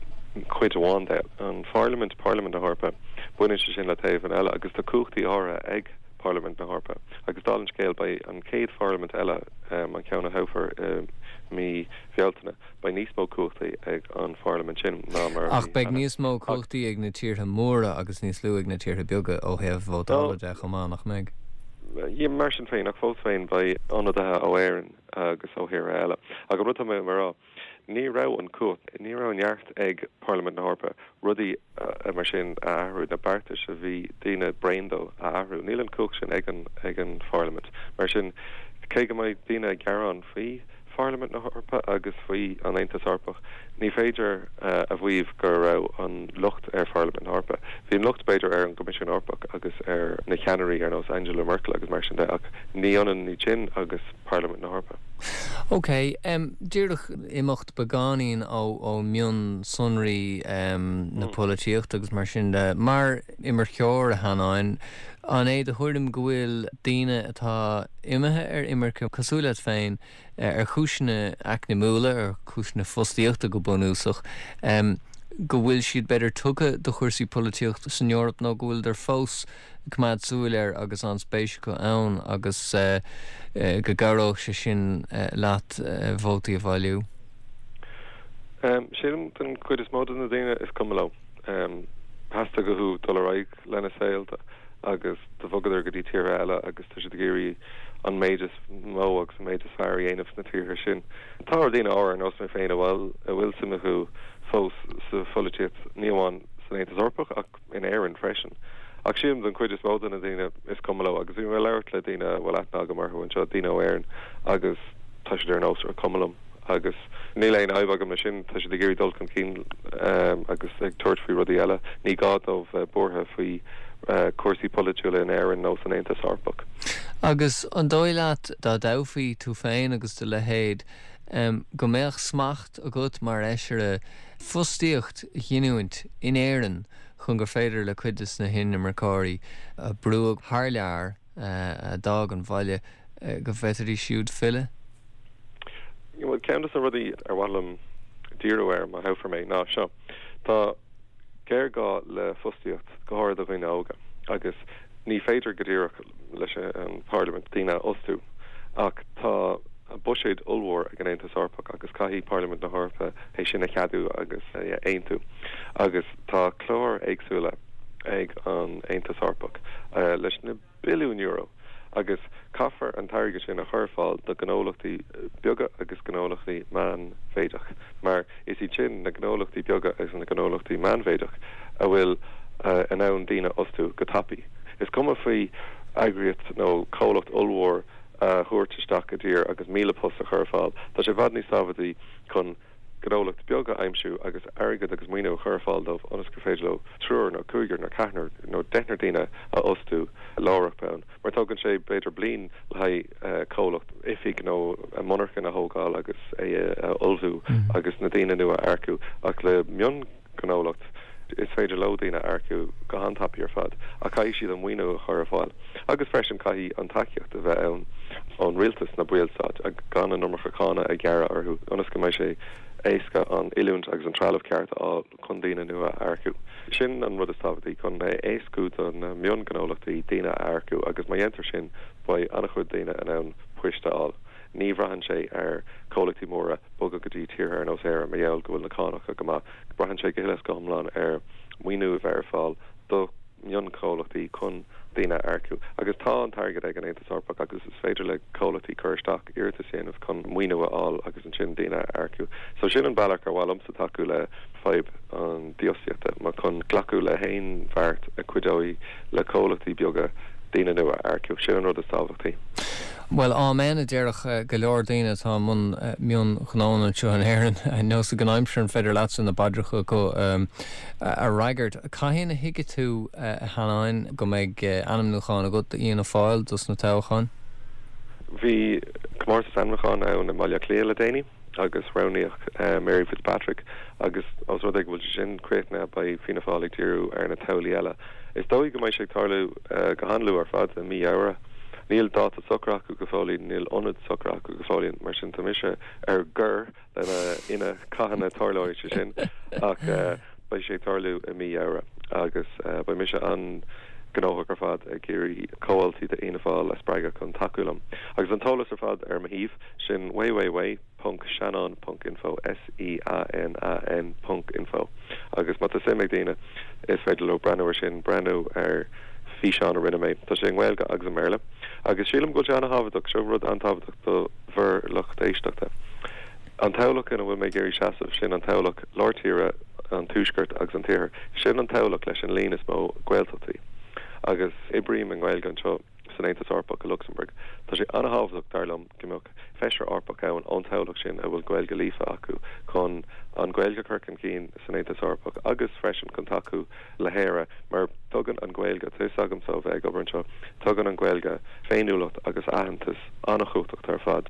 cuid amháin de. An Pharlaimint, Parlaimint na hEorpa, baineann sé sin le taobhanna eile agus tá cumhachtaí áirithe ag Parlaimint na hEorpa. Agus dála an scéil, beidh an chéad pharlaimint eile, an ceann a thoghfar i mí Bhealtaine, beidh níos mó cumhachtaí ag an pharlaimint sin ná mar a bhí cheana. Ach beidh níos mó cumhachtaí ag na tíortha móra agus níos lú ag na tíortha beaga ó thaobh vótála de chomh maith, nach mbeidh? Mar sin féin, ach fós féin, beidh ionadaithe ó Éirinn agus ó thíortha eile. Ach an rud atá mé a rá, ní raibh an chumhacht, ní raibh an neart ag Parlaimint na hEorpa rudaí mar sin a athrú, na beartais a bhí daoine bréan dó a athrú. Níl an chumhacht sin ag an ag an Pharlaimint. Mar sin, cé go mbeidh daoine ag gearán faoi Pharlaimint na hEorpa agus faoi an Aontas Eorpach, ní féidir a mhaíomh go raibh an locht ar Pharlaimint na hEorpa. Bhí an locht, b'fhéidir, ar an gCoimisiún Eorpach agus ar na ceannairí ar nós Angela Merkel agus mar sin de, ach ní ionann iad sin agus Parlaimint na hEorpa. Ok, díreach imeacht beagáinín ó mhionsonraí na polaitíochta agus mar sin de, mar imirceoir, a Sheanáin, an é do thuairim go bhfuil daoine atá imithe ar imirce, cosúil leat féin, ar chúiseanna eacnamúla, ar chúiseanna fostaíochta go bunúsach, go bhfuil siad b'fhéidir tugtha do chúrsaí polaitíochta san Eoraip nó go bhfuileadar fós ag coimeád súil air agus an-spéis acu ann agus go gcabhródh sé sin leat vótaí a bhailiú? Sílim don chuid is mó de na daoine is cuma leo. Theastaigh uathu dul ar aghaidh lena saolta agus do bhogadar go dtí tíortha eile agus tá siad ag iarraidh an méid is mó agus an méid is fearr a dhéanamh sna tíortha sin. Tá daoine áirithe ar nós mé féin a bhfuil a bhfuil suim acu fós sa pholaitíocht, ní amháin san Aontas Eorpach ach in Éirinn freisin. Ach sílim don chuid is mó de na daoine is cuma leo agus bhí mé ag labhairt le daoine a bhfuil aithne agam orthu anseo, daoine ó Éirinn agus tá siad ar nós is cuma liom. Agus níl aon fhadhb agam leis sin, tá siad ag iarraidh dul chun cinn agus ag tabhairt faoi rudaí eile. Ní gá dóibh bheith buartha faoi chúrsaí polaitiúla in Éirinn nó san Aontas Eorpach. Agus an dóigh leat, dá dtoghfaí tú féin agus do leithéid, go mbeadh smacht agat mar fheisire fostaíocht a ghiniúint in Éirinn chun gur féidir le cuid de na hinimirceoirí a brúadh thar lear, a d'fhág an bhaile, go bhféadfaidís siúd filleadh? Bhuel, ceann de na rudaí ar mhaith liom díriú air, má thoghfar mé, ná seo. Tá géarghá le fostaíocht, go háirithe do dhaoine óga, agus ní féidir go díreach leis an bParlaimint daoine a fhostú, ach tá buiséad ollmhór ag an Aontas Eorpach agus caithfidh Parlaimint na hEorpa é sin a cheadú agus a aontú. Agus tá cláir éagsúla ag an Aontas Eorpach leis na billiúin euro agus caithfear an t-airgead sin a chur ar fáil do ghnólachtaí beaga agus gnólachtaí meánmhéideach mar is iad sin na gnólachtaí beaga agus na gnólachtaí meánmhéideach a bhfuil in ann daoine a fhostú go tapaidh. Is cuma faoi eagraíocht nó comhlacht ollmhór a thabhairt isteach i dtír agus 1,000 post a chur ar fáil. Tá sé i bhfad níos tábhachtaí chun gnólacht beag a aimsiú agus airgead agus maoiniú a chur ar fáil dóibh ionas gur féidir leo triúr nó cúigear nó ceathrar nó deichniúr daoine a fhostú láithreach bonn. Mar tógann sé b'fhéidir bliain le haghaidh comhlacht, oifig nó monarchan a thógáil agus é a ullmhú agus na daoine nua a earcú ach le mionghnólacht is féidir leo daoine a earcú go han-tapaidh ar fad ach caithfidh siad an maoiniú a chur ar fáil agus freisin caithfidh an tacaíocht a bheith ann ón rialtas, na ballstáit, gan an iomarca cánach a ghearradh orthu ionas go mbeidh sé éasca an oiliúint agus an trealamh ceart a fháil chun daoine nua a earcú. Sin an rud is tábhachtaí, chun é a éascú do na mionghnólachtaí daoine a earcú agus má dhéantar sin beidh an-chuid daoine in ann poist a fháil. Ní bhraitheann sé ar chomhlachtaí móra bogadh go dtí tíortha ar nós Éire mar gheall go bhfuil na cánacha go maith. Braitheann sé go huile is go hiomlán ar mhaoiniú a bheith ar fáil do mhionchomhlachtaí chun daoine a earcú. Agus tá an t-airgead ag an Aontas Eorpach agus is féidir le comhlachtaí cur isteach, iarratas a dhéanamh chun maoiniú a fháil agus ansin daoine a earcú. So sin an bealach ar mhaith liomsa tacú le fadhb an dífhostaíochta, ná chun glacadh le haon bheart a chuideoidh le comhlachtaí beaga daoine nua a earcú. Sin an rud is tábhachtaí. Bhuel, amen a déarfadh go leor daoine atá i mbun mionghnónna anseo in Éirinn. Nós ag an aimsir, an féidir leatsa na paidreacha acu a fhreagairt? Cathain a thuigfidh tú, a Sheanáin, go mbeidh ainmniúchán agat d'Fhianna Fáil dos na toghcháin? Bhí comórtas ainmniúcháin ann i mBaile Átha Cliath le déanaí agus roghnaíodh Mary Fitzpatrick agus os rud é go bhfuil sé sin críochnaithe beidh Fianna Fáil ag díriú ar na toghlaigh eile. Is dóigh go mbeidh sé ag tarlú go han-luath ar fad, i mí Fheabhra. Níl dáta socraithe acu go fóillín, níl ionad socraithe acu go fóillín, mar sin tá mise ar gor lena fhine cathain a tarlóidh sé sin ach beidh sé ag tarlú i mí Fheabhra agus beidh mise an-ghnóthach ar fad ag iarraidh comhaltaí d'Fhianna Fáil a spreagadh chun tacú liom. Agus an t-eolas ar fad ar mo shuíomh, sin www. ponc seanán ponc info, S-E-A-N-A-N ponc info, agus má tá suim ag daoine is féidir leo breathnú ar sin, breathnú ar físeán a rinne mé. Tá sé i nGaeilge agus i mBéarla. Agus sílim go bhfuil sé an-thábhachtach, seo rud an-tábhachtach do bhur lucht éisteachta. An toghlach ina bhfuil mé ag iarraidh seasamh, sin an toghlach lár tíre, an tuaisceart agus an t-iarthar, sin an toghlach leis an líon is mó Gaeltachtaí. Agus oibrím i nGaeilge anseo. san Aontas Eorpach i Lucsamburg. Tá sé an-thábhachtach, dar liom, go mbeadh feisire Eorpach ann ón toghlach sin a bhfuil Gaeilge líofa acu chun an Ghaeilge a chur chun cinn san Aontas Eorpach agus freisin chun tacú le hÉire mar tugann an Ghaeilge, tá fhios agamsa ó bheith ag obair anseo, tugann an Ghaeilge féiniúlacht agus aitheantas an-chumhachtach ar fad.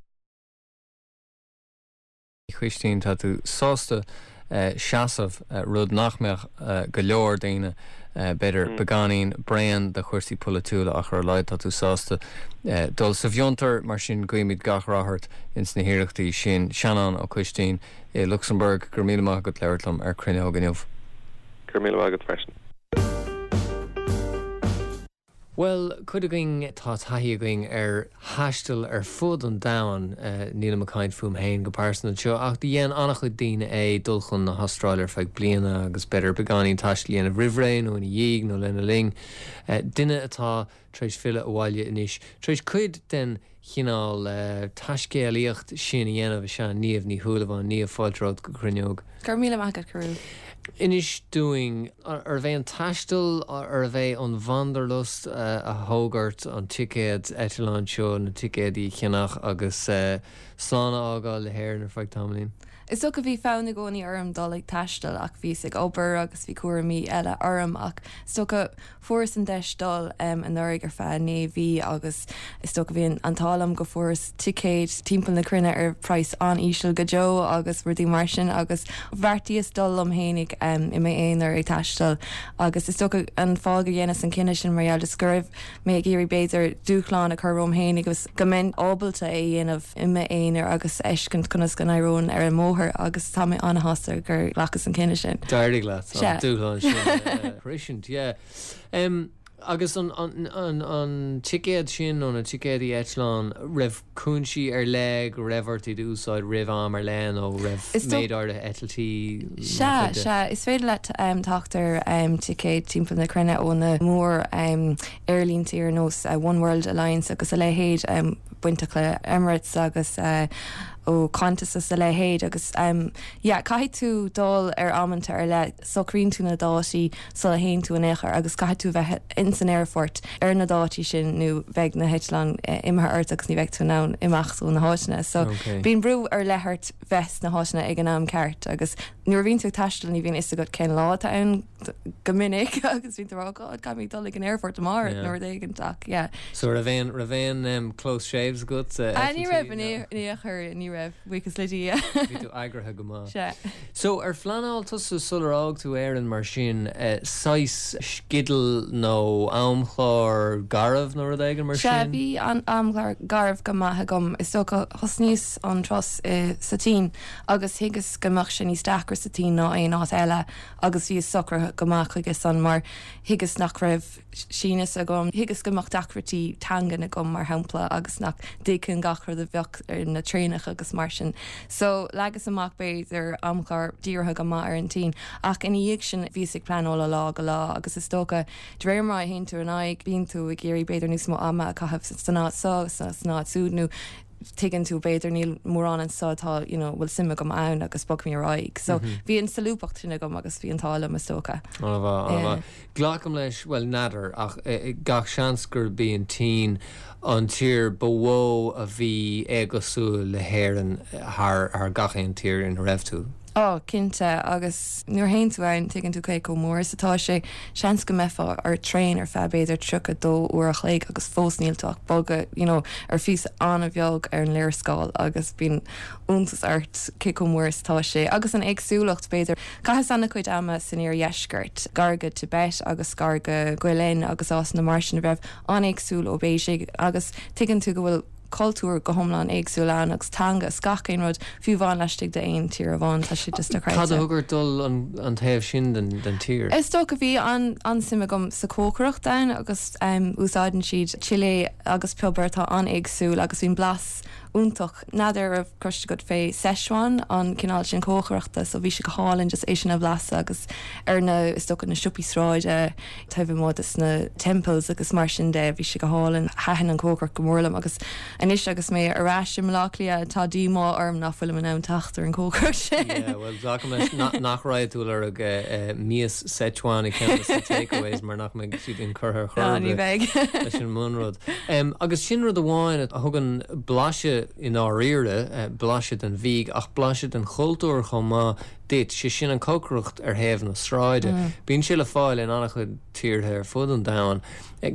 Choistín, tá tú sásta seasamh, rud nach mbeadh go leor daoine, b'fhéidir, beagáinín bréan de chúrsaí polaitiúla ach ar a laghad tá tú sásta dul sa bhfiontar, mar sin guímid gach rath ort ins na hiarrachtaí sin. Seanán Ó Coistín i Lucsamburg, go raibh míle maith agat labhairt liom ar Cruinneog inniu. Go raibh míle maith agat freisin. Bhuel, cuid againn, tá taithí againn ar thaisteal ar fud an domhain, nílim ag caint fúm féin go pearsanta anseo, ach do dhein an-chuid daoine é, dul chun na hAstráile ar feadh bliana agus b'fhéidir beagáinín taistil a dhéanamh roimh ré nó ina dhiaidh nó lena linn. Duine atá tar éis filleadh abhaile anois, tar éis cuid den chineál taiscéalaíocht sin a dhéanamh is ea Niamh Ní Shúilleabháin. Niamh, fáilte romhat go Cruinneog. Go raibh míle maith agat, Cearbhall. Inis dúinn, arbh é an taisteal, arbh é an wanderlust a thóg ort an ticéad eitleáin seo, na ticéadaí a cheannach agus slán a fhágáil le hÉirinn ar feadh tamaillín? Is dócha bhí fonn i gcónaí orm dul ag taisteal ach bhíos ag obair agus bhí cúraimí eile orm ach is dócha Fuaireas an deis dul anuraidh ar feadh 9 mhí agus is dócha bhí an t-ádh liom go fuaireas ticéid timpeall na cruinne ar praghas an-íseal go deo agus rudaí mar sin agus bheartaíos dul liom fhéinig i m'aonar ag taisteal agus is dócha an fáth go dheineas an cinneadh sin mar gheall just go raibh mé ag iarraidh b'fhéidir dúshlán a chur romham fhéinig agus go mbeinn ábalta é a dhéanamh i m'aonar agus a fheiscint conas go n-éireoinn ar an mbóthar agus tá mé an-shásta gur ghlacas an cinneadh sin. D'éirigh leat an dúshlán sin a shroisint, yeah. Agus an an ticéad sin nó na ticéadaí eitleáin, raibh cúinsí ar leith go raibh ort iad a úsáid roimh am ar leith nó raibh méid áirithe eitiltí mar Sea, chuid de? sea, is féidir leat teacht ar ticéid timpeall na cruinne ó na mór aerlíntí ar nós One World Alliance agus a leithéid. bainteach le Emirates agus ó Qantas is a leithéid agus yeah caithfidh tú dul ar amanta ar leith, socraíonn tú na dátaí sula théann tú in aon chor agus caithfidh tú bheith ins an aerfort ar na dátaí sin nó beidh na heitleáin imithe ort agus ní bheidh tú in ann imeacht ó na háiteanna. So bíonn brú ar leith ort bheith sna háiteanna ag an am ceart agus nuair a bhíonn tú ag taisteal ní bhíonn fhios agat cén lá atá ann go minic agus bíonn tú ag rá God caithfidh mé dul ag an aerfort amárach nó rud éigin ach yeah. So raibh aon raibh aon um, close shaves agat uh, Ah, ní raibh in aon chor ní raibh buíochas le Dia. Bhí tú eagraithe go maith. Sea. So ar phleanáil tusa sular fhág tú Éirinn mar sin uh, saghas sceideal nó amchlár garbh nó rud éigin mar Sea, sin? bhí an amchlár garbh go maith agam. Is dócha thosnaíos an turas i sa tSín agus thuigeas go mbeadh sé níos deacra sa tSín ná aon áit eile agus bhíos socraithe go maith chuige san mar thuigeas nach raibh Sínis agam, thuigeas go mbeadh deacrachtaí teangan agam mar shampla agus nach dtuigfinn gach rud a bheadh ar na traenacha agus mar sin. So leagas amach b'fhéidir amchlár dírithe go maith ar an tSín ach ina dhiaidh sin bhíos ag pleanáil ó lá go lá agus is dócha de réir mar a théann tú ar aghaidh bíonn tú ag iarraidh b'fhéidir níos mó ama a chaitheamh san áit seo san áit siúd nó tuigeann tú, b'fhéidir níl mórán anseo atá, you know, bhfuil suim agam ann agus bogfaidh mé ar aghaidh. So bhí an solúbthacht sin agam agus bhí an t-ádh liom is dócha. An-mhaith, an-mhaith. Glacaim leis, bhuel, n'fheadar, ach gach seans gurb í an tSín an tír ba mhó a bhí éagosúil le hÉirinn thar gach aon tír ina raibh tú. Ó, cinnte, agus nuair a théann tú ann tuigeann tú cé chomh mór is atá sé. Seans go mbeifeá ar traein ar feadh b'fhéidir 32 uair a chloig agus fós níl tú ach bogadh you know ar phíosa an-bheag ar an léarscáil agus bíonn iontas ort cé chomh mór is atá sé. Agus an éagsúlacht, b'fhéidir. Chaitheas an-chuid ama san iardheisceart, gar go Tibet agus gar go Guilin agus áiteanna mar sin a bheadh an-éagsúil ó Beijing agus tuigeann tú go bhfuil cultúr go hiomlán éagsúil ann agus teanga is gach aon rud, fiú amháin laistigh d'aon tír amháin, tá sé just dochreidte. Cad a thug ort dul an taobh sin den tír? Is dócha bhí an-suim agam sa chócaireacht ann agus úsáideann siad chilli agus piobar atá an-éagsúil agus bíonn blas iontach. N'fheadar an raibh cloiste agat fé Szechuan, an cineál sin cócaireachta, so bhí sé go hálainn just é sin a bhlaiseadh agus ar na, is dócha, na siopaí sráide taobh amuigh des na temples agus mar sin de, bhí sé go hálainn. Thaitin an chócaireacht go mór liom agus anois agus mé ar ais i mBaile Átha Cliath tá díomá orm nach bhfuilim in ann teacht ar an chócaireacht sin. Yeah, bhuel, glacaim leis nach raghaidh tú ag lorg mias Szechuan i gceann de na takeaways mar nach mbeidh siad inchurtha ar chor ar bith leis an mbunrud. Agus sin rud amháin a thugann blaiseadh i ndáiríre, blaiseadh den bhídh ach blaiseadh den chultúr chomh maith duit, sé sin an chócaireacht ar thaobh na sráide. Bíonn sé le fáil in an-chuid tíortha ar fud an domhain.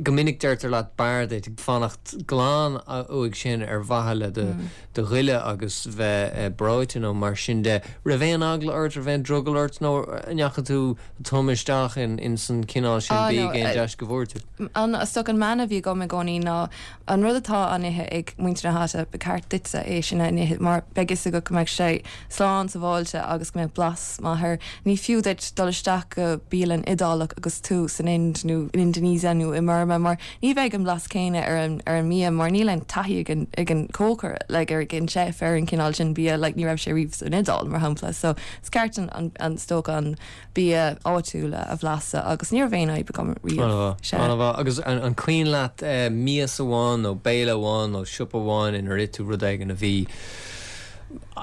Go minic deirtear leat b'fhearr duit fanacht glan uaidh sin ar mhaithe le do do ghoile agus bheith breoite nó mar sin de. Raibh aon eagla ort, raibh aon drogall ort nó an ndeachaigh tú tumtha isteach in san cineál sin bídh aon deis go bhfuair tú? An, is dócha an mana a bhí agam i gcónaí ná an rud atá á n-ithe ag muintir na háite, ba cheart duitse é sin a ithe mar beidh fhios agat go mbeidh sé slán sábháilte agus go mbeidh blas maith air. Ní fiú duit dul isteach go bialann Iodálach agus tú san Ind nó in Indonesia nó i mBurma mar Ní bheidh an blas céanna ar an ar an mbia mar níl aon taithí ag an ag an cócaire like ar an chef ar an cineál sin bia like ní raibh sé riamh san Iodáil mar shampla so is ceart an an an is dócha an bia áitiúil a bhlaiseadh agus ní raibh aon fhadhb agam riamh. An-mhaith, Sea. an-mhaith. Agus an an cuimhin leat mias amháin nó béile amháin nó siopa amháin inar ith tú rud éigin a bhí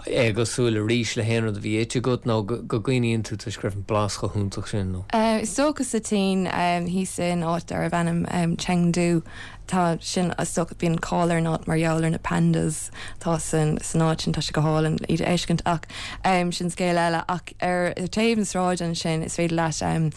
éagosúil arís le haon rud a bhí ite agat nó go gcuimhníonn tú toisc go raibh an blas chomh hiontach sin nó. Is dócha sa tSín, thíos in áit darbh ainm Chengdu, tá sin, is dócha, bíonn cáil ar an áit mar gheall ar na pandas atá san áit sin, tá sé go hálainn iad a fheiscint ach sin scéal eile. Ach ar taobh na sráide ansin is féidir leat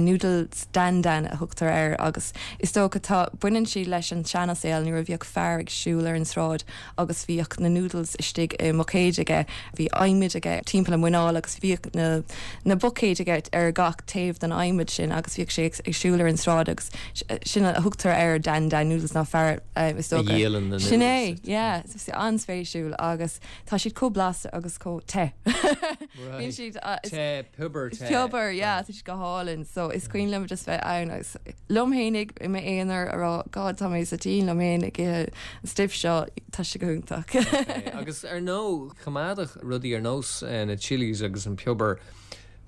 noodles Dan Dan a thugtar air agus is dócha tá, baineann siad leis an seansaol nuair a bhíodh fear ag siúl ar an sráid agus bhíodh na noodles istigh i mbuicéid aige, bhí adhmaid aige timpeall a muineál agus bhíodh na na buicéid aige ar gach taobh den adhmad sin agus bhíodh sé ag siúl ar an sráid agus sin a thugtar air Dan Dan noodles ná fear is dócha. A dhíolann na noodles. Sin é, yeah, an-spéisiúil agus tá siad chomh blasta agus chomh te. Bíonn siad te, piobar te. Piobar, yeah, tá siad go hálainn so is cuimhin liom just bheith ann agus liom fhéinig i m'aonar a rá God tá mé sa tSín liom fhéin ag ithe an stuif seo, tá sé go hiontach. Agus ar ndóigh, choimeádfadh rudaí ar nós na chillies agus an piobar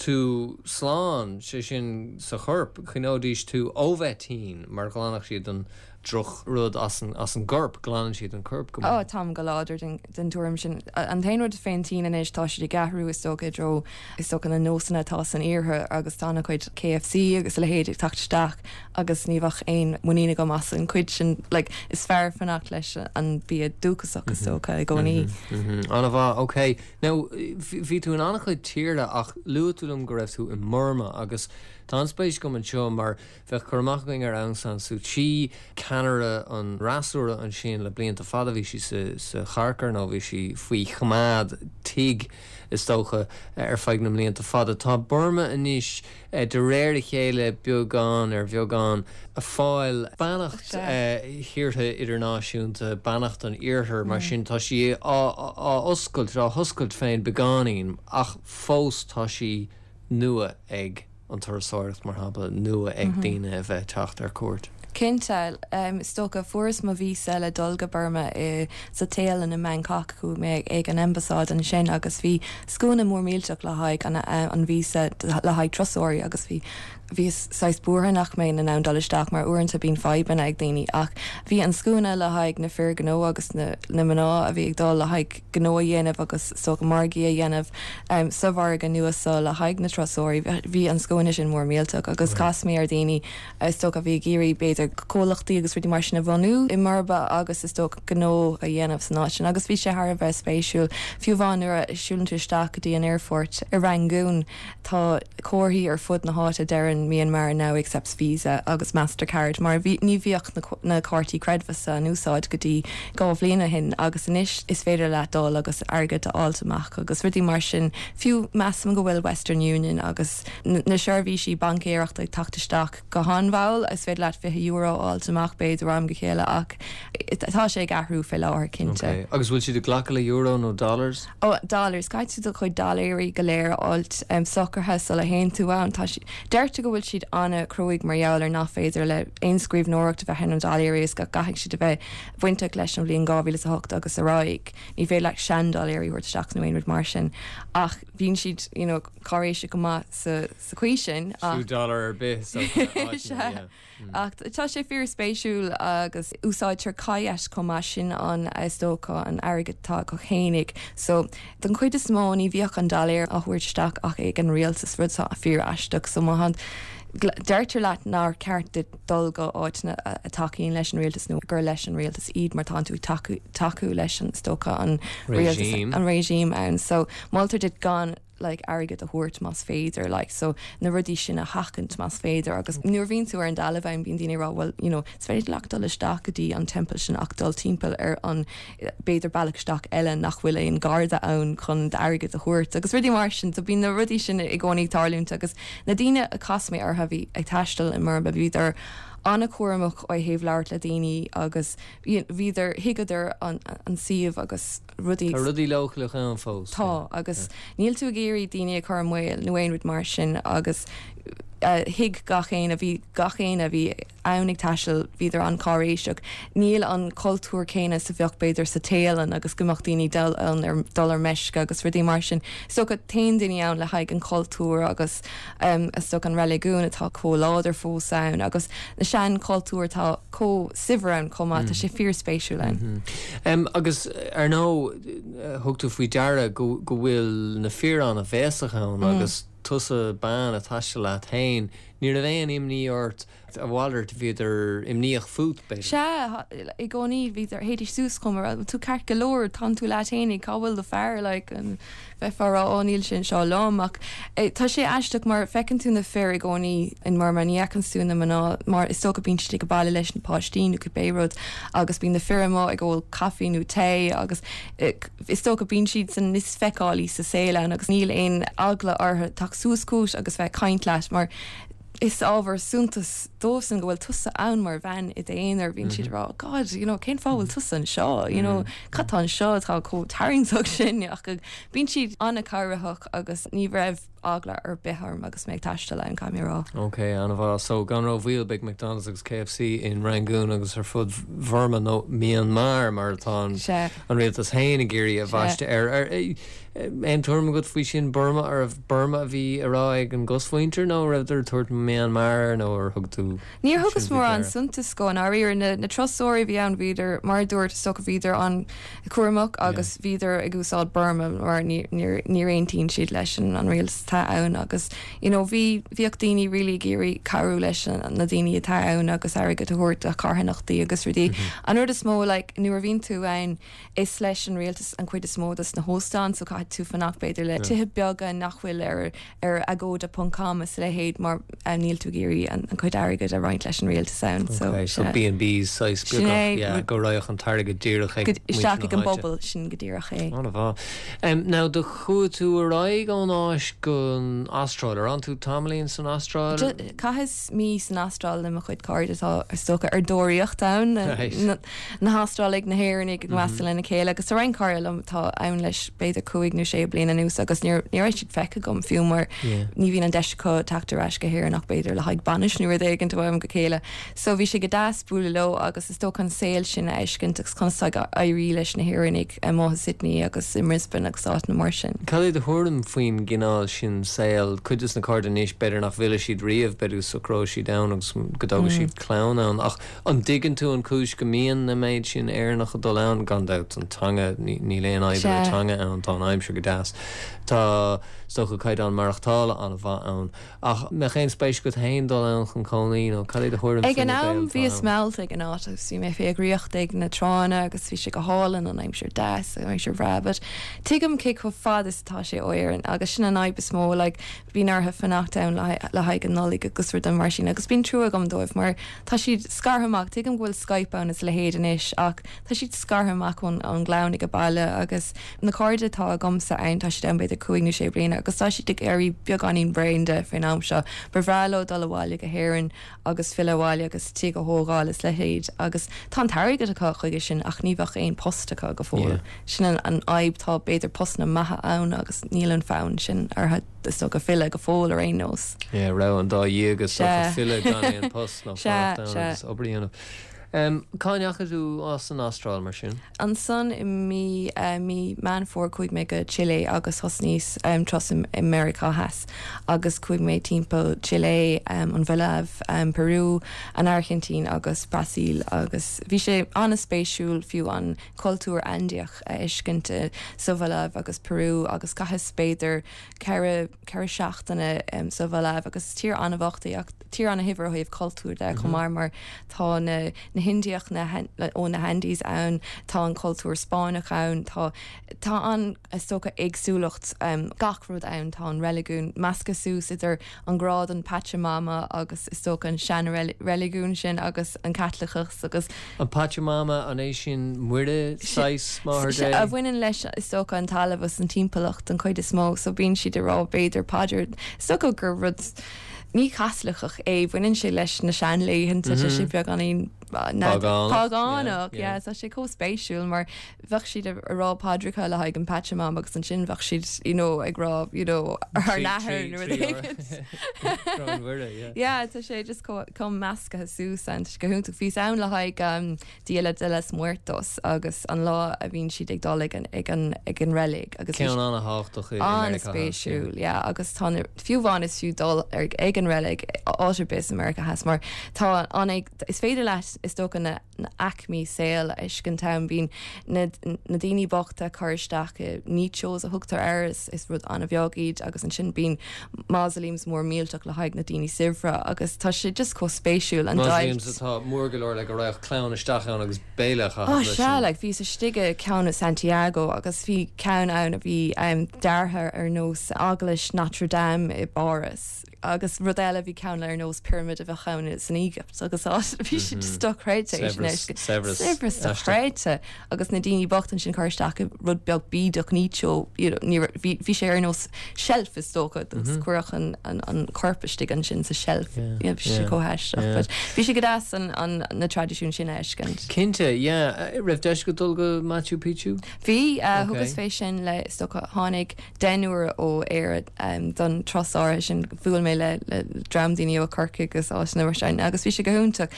tú slán, sé sin sa chorp, choinneoidís tú ó bheith tinn mar ghlanfadh siad an drochrud as an gcorp, glanann siad an corp go maith. Ó, táim go láidir den tuairim sin. An t-aon rud fén tSín anois, tá siad ag athrú is dócha i dtreo, is dócha, na nósanna atá san iarthar agus tá an-chuid KFC agus a leithéid ag teacht isteach agus ní bheadh aon muinín agam as an chuid sin, like, is fearr fanacht leis an bia dúchasach is dócha i gcónaí. An-mhaith, ok. Now, bhí tú in an-chuid tíortha ach luaigh tú liom go raibh tú i mBurma agus tá an-spéis agam anseo mar Bheadh cur amach againn ar Aung San Suu Kyi, ceannaire an fhreasúra ansin le blianta fada. Bhí sí sa charcair nó bhí sí faoi choimeád tigh, is dócha, ar feadh na mblianta fada. Tá Burma anois, de réir a chéile, beagán ar bheagán, ag fáil beannacht thíortha idirnáisiúnta, beannacht an Iarthair, mar sin tá sí á oscailt, á hoscailt féin beagáinín, ach fós tá sí nua ag. an turasóireacht, mar shampla, nua ag daoine a bheith ag teacht ar cuairt. Cinnte. Is dócha, fuaireas mo víosa le dul go Burma i sa Téalainn i mBangkok, chuaigh mé ag an ambasáid ansin agus bhí scuaine mór millteach le haghaidh an an víosa le haghaidh turasóirí agus bhí. Bhíos saghas buartha nach mbeinn in ann dul isteach mar uaireanta bíonn fadhbanna ag daoine ach bhí an scuaine le haghaidh na fir gnó agus na mná a bhí ag dul le haghaidh gnó a dhéanamh agus is dócha margaí a dhéanamh sa mhargadh nua so le haghaidh na turasóirí. Bhí an scuaine sin mór millteach agus chas mé ar dhaoine is dócha a bhí ag iarraidh b'fhéidir comhlachtaí agus rudaí mar sin a bhunú i mBurma agus is dócha gnó a dhéanamh san áit sin agus bhí sé thar a bheith spéisiúil. Fiú amháin nuair a siúlann tú isteach go dtí an aerfort i Rangoon, Tá comharthaí ar fud na háite a deireann Myanmar now accepts Visa agus Mastercard mar bhí ní bhíodh na cártaí creidmheasa in úsáid go dtí 2 bhliain ó shin agus anois is féidir leat dul agus airgead a fháilt amach agus rudaí mar sin. Fiú measaim go bhfuil Western Union agus na seirbhísí baincéireachta ag teacht isteach go han-mhall. Is féidir leat €20 a fháilt amach b'fhéidir ó am go chéile ach tá sé ag athrú fé láthair cinnte. Ok. Agus bhfuil siad ag glacadh le euro nó dollars? Ó, dollars. Caithfidh tú do chuid dollaeirí go léir a fháilt socraithe sula théann tú ann. Tá siad, deirtear go bhfuil siad an-chruaidh mar gheall ar nach féidir le aon scríbhneoireacht a bheith ar na dollaeirí is go gcaithfidh siad a bheith bainteach leis an bhliain 2008 agus ar aghaidh. Ní féidir leat sean-dollaeirí a thabhairt isteach nó aon rud mar sin. Ach bíonn siad, you know, cáiréiseach go maith sa, sa chaoi sin ach. Fiú dollar ar bith so áiteanna, yeah. Ach tá sé fíor spéisiúil agus úsáidtear kyat chomh maith, sin an, is dócha, an airgead atá acu fhéinig. So, don chuid is mó ní bhíodh an dollaer á thabhairt isteach ach ag an rialtas, rud atá fíor aisteach. So má deirtear leat nár cheart duit dul go áiteanna a tacaíonn leis an rialtas nó gur leis an rialtas iad mar tánn tú ag tacú, tacú leis an, is dócha, an rialtas, an regime ann. So moltar duit gan. like airgead a thabhairt más féidir like so na rudaí sin a sheachaint más féidir agus nuair a bhíonn tú ar an dtalamh ann bíonn daoine ag rá bhuel you know is féidir leat dul isteach go dtí an temple sin ach dul timpeall ar an b'fhéidir bealach isteach eile nach bhfuil aon garda ann chun d'airgead a thabhairt agus rudaí mar sin so bíonn na rudaí sin i gcónaí ag tarlúint agus na daoine a chas mé orthu a bhí ag taisteal i mBurma bhíodar an-chúramach ó thaobh labhairt le daoine agus bhíodar thuigeadar an an suíomh agus rudaí. Tá rudaí leochaileach ann fós. Tá, agus níl tú ag iarraidh daoine a chur i mbaol nó aon rud mar sin agus thuig gach éinne, bhí gach éinne a bhí ann ag taisteal, bhíodar an-cháiréiseach. Níl an cultúr céanna is a bheadh b'fhéidir sa Téalainn agus go mbeadh daoine dul ann ar dul ar meisce agus rudaí mar sin. Is dócha téann daoine ann le haghaidh an chultúir agus is dócha an reiligiún atá chomh láidir fós ann agus na sean-chultúir atá chomh saibhir ann chomh maith. Tá sé fíor-spéisiúil ann. Agus ar ndóigh, thug tú faoi deara go bhfuil na fir an-bhéasach ann agus tusa bean ag taisteal leat féin, ní raibh aon imní ort, a mhalairt, bhíodar imníoch fút, b'fhéidir. Sea, i gcónaí bhíodar, théidís suas chugam a rá, tú ceart go leor, tánn tú leat fhéinig, cá bhfuil do fear, like, Bheifeá a rá, Ó, níl sé anseo liom. Ach tá sé aisteach mar feiceann tú na fir i gcónaí in Murma, ní fheiceann tú na mná mar is dócha bíonn siad ag baile leis na páistí nó cibé rud agus bíonn na fir amuigh ag ól caife nó tae agus is dócha bíonn siadsan níos feiceálaí sa saol ann agus níl aon eagla orthu teacht suas chugat agus bheith ag caint leat mar is ábhar suntais dóibhsean go bhfuil tusa ann mar bhean i d'aonar, bíonn siad ag rá, God, you know, cén fáth bhfuil tusa anseo, you know, cad tá anseo atá chomh tarraingteach sin, ach bíonn siad an-chabhraitheach agus ní raibh eagla ar bith orm agus mé ag taisteal ann, caithfidh mé a rá. Ok, an-mhaith. So, gan rómhoill, beidh McDonald's agus KFC in Rangoon agus ar fud Bhurma, nó Myanmar mar atá an rialtas féin ag iarraidh a bhaisteadh air. Aon tuairim agat faoi sin, Burma, arbh Burma a bhí á rá ag an gcosmhuintir nó an rabhadar ag tabhairt Myanmar air nó ar thug tú Níor thugas mórán suntais dhó i ndáiríre. Na turasóirí a bhí ann bhíodar, mar a dúirt, is dócha bhíodar an-chúramach agus bhíodar ag úsáid Burma mar níor aontaíonn siad leis an rialtas atá ann agus you know bhí, bhíodh daoine really ag iarraidh cabhrú leis na daoine atá ann agus airgead a thabhairt do charthanachtaí agus rudaí. An rud is mó like nuair a bhíonn tú ann, Is leis an rialtas an chuid is mó dos na hóstáin so caithfidh tú fanacht b'fhéidir le tithe beaga nach bhfuil ar ar agoda ponc com is a leithéid mar níl tú ag iarraidh an chuid airgid a roinnt leis an rialtas ann so Ok, so B&Bs saghas Sin beagach, yeah, go raghadh an t-airgead díreach ag muintir na háite. Isteach ag an bpobal, sin go díreach é. An-mhaith. Now do chuaigh tú ar aghaidh ón Áis gon Astráil, ar fhan tú tamaillín san Astráil? Chaitheas mí san Astráil le mo chuid cairde atá, is dócha, ar deoraíocht ann, na hAstrálaigh, na hÉireannaigh ag meascadh lena chéile agus tá roinnt cairde liom atá ann leis b'fhéidir 15 nó sé bliana anuas agus ní ní raibh siad feicthe agam fiú mar ní bhíonn an deis acu teacht ar ais go hÉirinn ach b'fhéidir le haghaidh bainis nó rud éigin ó am go chéile. So bhí sé go deas bualadh leo agus is dócha an saol sin a fheiscint agus conas atá ag éirí leis na hÉireannaigh amuigh i Sydney agus i mBrisbane agus áiteanna mar sin. Cad é do thuairim faoin gcineál sin saoil? Cuid des na cairde anois b'fhéidir nach bhfillfidh siad riamh, b'fhéidir go socróidh siad ann agus go dtógfaidh siad clann ann ach an dtuigeann tú an chúis go mbíonn an méid sin Éireannach ag dul ann? Gan dabht an teanga, níl aon fhadhb le teanga ann, tá an aimsir go deas, tá is dócha caighdeán maireachtála an-mhaith ann. Ach mbeadh aon spéis agat féin dul ann chun cónaí nó cad é do thuairim Ag faoi an na am Gaeil atá bhíos ann? meallta ag an áit agus bhí mé fé dhraíocht ag na tránna agus bhí sé go hálainn, an aimsir deas, an aimsir bhreá but tuigim cé chomh fada is atá sé ó Éirinn agus sin an fhadhb is mó like bíonn orthu fanacht ann le le haghaidh an Nollaig agus rudaí mar sin agus bíonn trua agam dóibh mar tá siad scartha amach, tuigim go bhfuil Skype ann is a leithéid anois ach tá siad scartha amach ón ón gclann ag baile agus Na cairde atá agamsa ann, tá siad ann b'fhéidir cúig nó sé bliana agus tá siad ag éirí beagáinín bréan de faoin am seo. Ba bhreá leo dul abhaile go hÉirinn agus filleadh abhaile agus tigh a thógáil is leithéid agus tá an t-airgead acu chuige sin ach ní bheadh aon post acu go fóill. Sin an fhadhb, tá b'fhéidir postanna maithe ann agus níl an fonn sin orthu is dócha filleadh go fóill ar aon nós. Yeah, rogha an dá dhíog is dócha, filleadh gan aon post nó fanacht ann agus obair a dhéanamh. Cá ndeachaigh tú as an Astráil mar sin? Ansan i mí mí Meán Fómhair chuaigh mé go Chile agus thosnaíos turas i Meiriceá Theas agus chuaigh mé timpeall Chile, an Bholaiv, Peru, an Airgintín agus Brasaíl agus bhí sé an-spéisiúil fiú an cultúr Aindiach a fheiscint sa Bholaiv agus Peru agus chaitheas b'fhéidir 4 4 seachtaine sa Bholaiv agus is tír an-bhocht í ach tír an-shaibhir ó thaobh cultúir de chomh maith mar tá na na hIndiach na ó na hAndes ann, tá an cultúr Spáinneach ann, tá tá an is dócha éagsúlacht gach rud ann, tá an reiligiún measctha suas idir an grá don Pachamama agus is dócha an sean-reiligiún sin agus an Caitliceachas agus. An Pachamama, an é sin Muire, saghas Máthair Dé? A bhaineann leis is dócha an talamh agus an timpeallacht den chuid is mó so bíonn siad ag rá b'fhéidir paidir, is dócha gur rud ní Caitliceach é, baineann sé leis na seanlaethanta, tá sé beagáinín Págánach, yeah, tá sé chomh spéisiúil mar bheadh siad ag rá paidreacha le haghaidh an Pachamama agus ansin bheadh siad you know ag rá you know Ár nAthair nó rud éigin. Yeah, tá sé just chomh measctha suas ann, tá sé go hiontach. Bhíos ann le haghaidh Dia de los Muertos agus an lá a bhíonn siad ag dul ag an ag an ag an reilig agus Ceann an-thábhachtach i Meiriceá Theas. An-spéisiúil, yeah, agus tá na, fiú amháin is fiú dul ar ag an reilig áit ar bith i Meiriceá Theas mar tá an is féidir leat is dócha na na aicmí saoil a fheiscint ann. Bíonn na na daoine bochta curtha isteach i nichos a thugtar air, is is rud an-bheag iad agus ansin bíonn mausoleums mór millteach le haghaidh na daoine saibhre agus tá sé just chomh spéisiúil an Mausoleums deighilt. atá mór go leor le go raghadh clann isteach ann agus béile a chaitheamh Ó leis sea, like bhíos istigh i ceann i Santiago agus bhí ceann ann a bhí deartha ar nós Eaglais Notre Dame i bPáras agus rud eile bhí ceann ar nós pyramid a bheadh ann san Éigipt agus bhí sé just dochreidte é sin a Saibhreas, saibhreas, Saibhreas dochreidte. Agus na daoine bochta ansin curtha isteach i rud beag bídeach nicho, you know, ní raibh, bhí, bhí sé ar nós shelf is dócha, agus cuireadh an, an, an corp istigh ansin sa shelf. Yeah, Yeah, bhí sé yeah, chomh haisteach. yeah. But bhí sé go deas an, an, na traidisiúin sin a fheiscint. Cinnte, yeah. Raibh deis agat dul go Machu Picchu? Bhí, uh, Okay. thugas fé sin le, is dócha, tháinig deichniúr ó Éire don turas áirithe sin, bhuail mé le, le dream daoine ó Corcaigh agus áiteanna mar sin agus bhí sé go hiontach.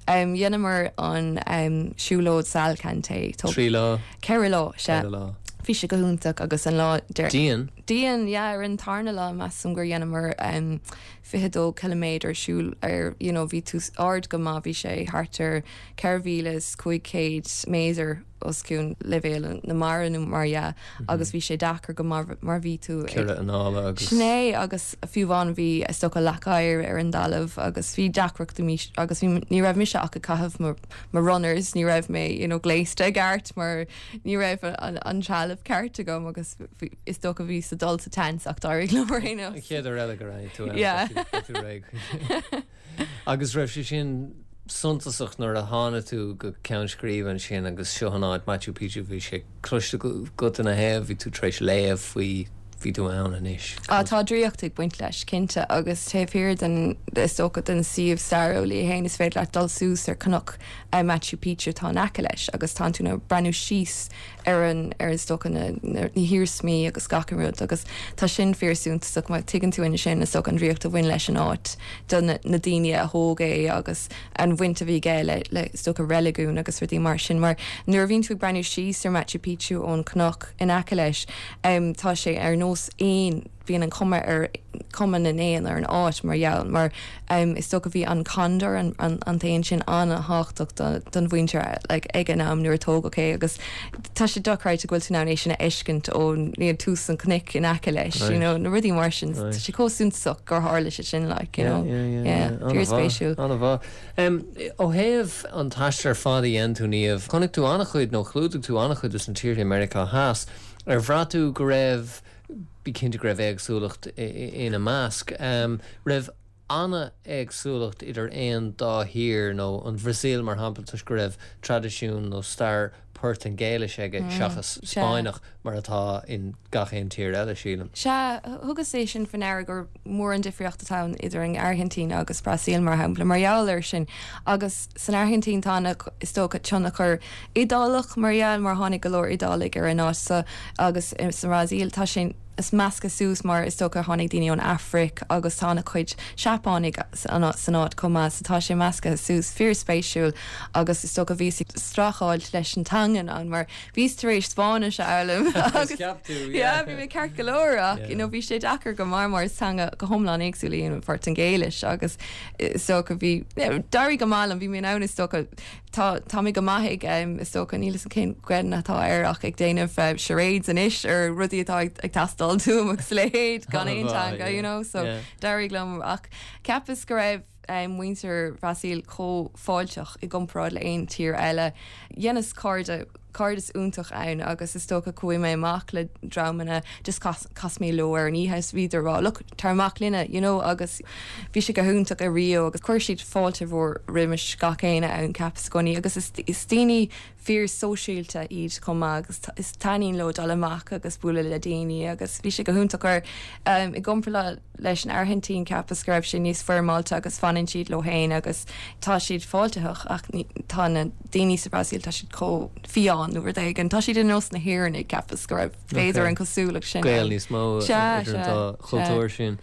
Dheineamar an siúlóid Salkantay. 3 lá? 4 lá, sea. 4 lá. Bhí sé go hiontach agus an lá deireanach. Dian? Dian, yeah. Ar an tarna lá measaim gur dheineamar 22 ciliméadar siúl ar, you know, bhí tú ard go maith, bhí sé thart ar 4,500 méadar. os cionn leibhéal na mara nó mar dhea agus bhí sé deacair go maith mar bhí tú ag. Cúrsaí anála agus. Sin é agus fiú amháin bhí is dócha leac oighir ar an dtalamh agus bhí deacrachtaí agus bhí ní raibh mise ach ag caitheamh mo mo runners ní raibh mé you know gléasta i gceart mar ní raibh an an trealamh ceart agam agus bhí is dócha bhíos ag dul sa tseans ach d'éirigh liom ar aon nós. An chéad uair eile go raibh tú ann Yeah. beidh tú réidh. Agus raibh sé sin suntasach nuair a tháinig tú go ceann scríbe ansin agus seo an áit, Machu Picchu, bhí sé cloiste agat ina thaobh, bhí tú tar éis léamh faoi Bhí tú ann anois. Á, tá draíocht ag baint leis, cinnte, agus taobh thiar den, is dócha, den suíomh stairiúil é féin, is féidir leat dul suas ar cnoc Machu Picchu atá in aice leis agus tánn tú in ann breathnú síos ar an, ar is dócha, na, na, na hiarsmaí agus gach aon rud agus tá sin fíor suntasach mar tuigeann tú ansin, is dócha, an draíocht a bhain leis an áit do na, na daoine a thóg é agus an bhaint a bhí aige le, le, is dócha, reiligiún agus rudaí mar sin mar nuair a bhíonn tú ag breathnú síos ar Machu Picchu ón cnoc in aice leis, Tá sé ar nós éin, bíonn an cuma ar, cuma na n-éan ar an áit mar gheall, mar is dócha bhí an condor, an t-éan sin an-thábhachtach don mhuintir like ag an am nuair a tógadh é agus tá sé dochreidte go bhfuil tú in ann é sin a fheiscint ó you know tús an chnoic in aice leis, you know, na rudaí mar sin, tá sé chomh suntasach gur tharla sé sin like, you know, yeah, fíorspéisiúil. An-mhaith. Ó thaobh an taistil ar fad a dhein tú, Niamh, chonaic tú an-chuid nó chlúdaigh tú an-chuid de na tíortha i Meiriceá Theas. Ar bhraith tú go raibh, bí cinnte go raibh éagsúlacht ina measc, raibh an-éagsúlacht idir aon dá thír nó an Bhrasaíl mar shampla toisc go raibh traidisiún nó stair Portaingéilis aige seachas Spáinneach mar atá in gach aon tír eile, sílim. Sea, thugas é sin faoi ndeara gur mór an difríocht atá ann idir an Airgintín agus Brasaíl, mar shampla, mar gheall air sin. Agus san Airgintín tá na, is dócha, tionchar Iodálach mar gheall, mar tháinig go leor Iodálaigh ar an áit so, agus sa mBrasaíl tá sé measctha suas mar is dócha tháinig daoine ón Afraic agus tá ana chuid Seapánaigh san áit chomh maith so tá sé measctha suas, fíor-spéisiúil agus is dócha bhíos ag streachailt leis an teanga ann mar bhíos tar éis Spáinnis a fhoghlaim agus Cheap tú, yeah bhí mé ceart go leor ach you know bhí sé deacair go maith mar is teanga go hiomlán éagsúil í an Phortaingéilis agus is dócha bhí, d'éirigh go maith liom, bhí mé in ann is dócha Tá, tá mé go maith ag, is dócha, níl 'fhios a'm cén Ghaelainn atá air ach ag déanamh charades anois ar rudaí atá ag teastáil uaim agus a leithéid gan aon teanga, you know, so d'éirigh liom ach cheapas go raibh muintir Bhrasaíl chomh fáilteach i gcomparáid le aon tír eile. Dheineas cairde cairdeas iontach ann agus is dócha chuaigh mé amach le dreamanna just chas chas mé leo ar an oíche is bhíodar ag rá look tar amach linne you know agus bhí sé go hiontach i Rio agus chuir siad fáilte mhór roimis gach éinne ann ceapas i gcónaí agus is is daoine fíor sóisialta iad chomh maith agus is taitníonn leo dul amach agus bualadh le daoine agus bhí sé go hiontach ar i gcomparáid leis an Airgintín cheapas go raibh sé níos foirmeálta agus fanann siad leo féin agus tá siad fáiltitheach ach tá na daoine sa Bhrasaíl tá siad chomh fiáin nó rud éigin. Tá siad ar nós na hÉireannaigh cheapas go raibh b'fhéidir an cosúlacht sin ann. Gaol níos mó idir an dá chultúr sin.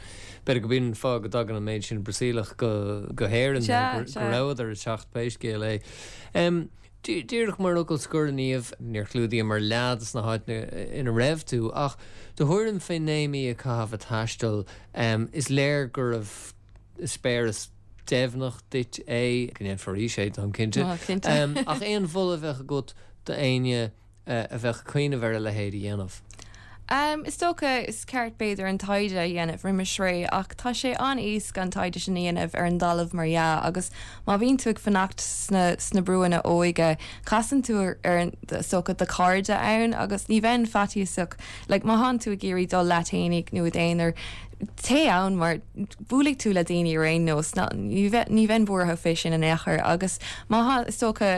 B'fhéidir go b'in an fáth go dtagann an méid sin Brasaíleach go hÉirinn nó go rabhadar ag teacht pé scéal é. Díreach mar fhocal scoir, a Niamh, níor chlúdaíomar leath de na háiteanna ina raibh tú, ach do thuairim fé naoi mí a chaitheamh ag taisteal, is léir gurbh eispéireas deimhneach duit é, go ndéanfá arís é, táim cinnte. Ach aon mholadh a bheadh agat d'éinne a bheadh ag cuimhneamh ar a leithéid a dhéanamh? Is dócha, is ceart b'fhéidir an taighde a dhéanamh roimis ré ach tá sé an-éasca an taighde sin a dhéanamh ar an dtalamh mar dhea agus má bhíonn tú ag fanacht sna sna brúanna óige casann tú ar is dócha do chairde ann agus ní bheinn faitíosach like má thánn tú ag iarraidh dul leat fhéinig nó i d'aonar téigh ann mar buailfidh tú le daoine ar aon nós ní bheinn buartha fé sin in aon chor agus má tá is dócha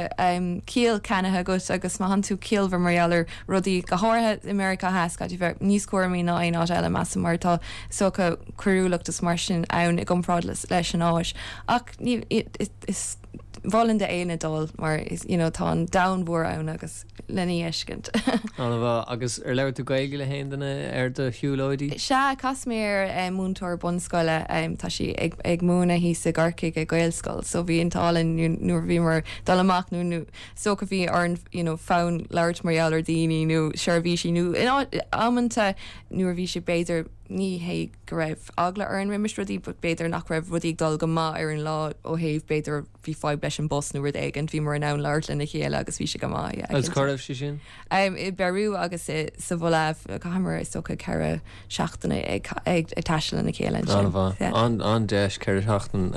ciall ceannaithe agat agus má thánn tú ciallmhar mar gheall ar rudaí go háirithe i Meiriceá Theas caithfidh tú bheith níos cúramaí ná aon áit eile measaim mar tá is dócha coiriúlacht is mar sin ann i gcomparáid leis an Áis ach ní is mholfainn d'éinne dul mar is you know tá an domhan mhór ann agus lena fheiscint. An-mhaith. Agus ar labhair tú Gaeilge le haon duine ar do shiúlóidí? Sea, chas mé ar múinteoir bunscoile, tá sí ag múineadh thíos i gCorcaigh i Gaelscoil, so bhí an t-ádh linn nuair a bhíomar ag dul amach nó nó is dócha bhí orainn you know fonn labhairt mar gheall ar daoine nó seirbhísí nó in amanta nuair a bhí sé b'fhéidir ní hé go raibh eagla orainn roimis rudaí but b'fhéidir nach raibh rudaí ag dul go maith ar an lá ó thaobh b'fhéidir bhí fadhb leis an bus nó rud éigin, bhíomar in ann labhairt lena chéile agus bhí sé go maith, yeah, Agus cá raibh sé sin? I bPeiriú agus i sa Bholaiv, chaitheamar is dócha 4 seachtaine ag ag taisteal lena chéile ansin. An-mhaith. Yeah. An-deis 4 sheachtain,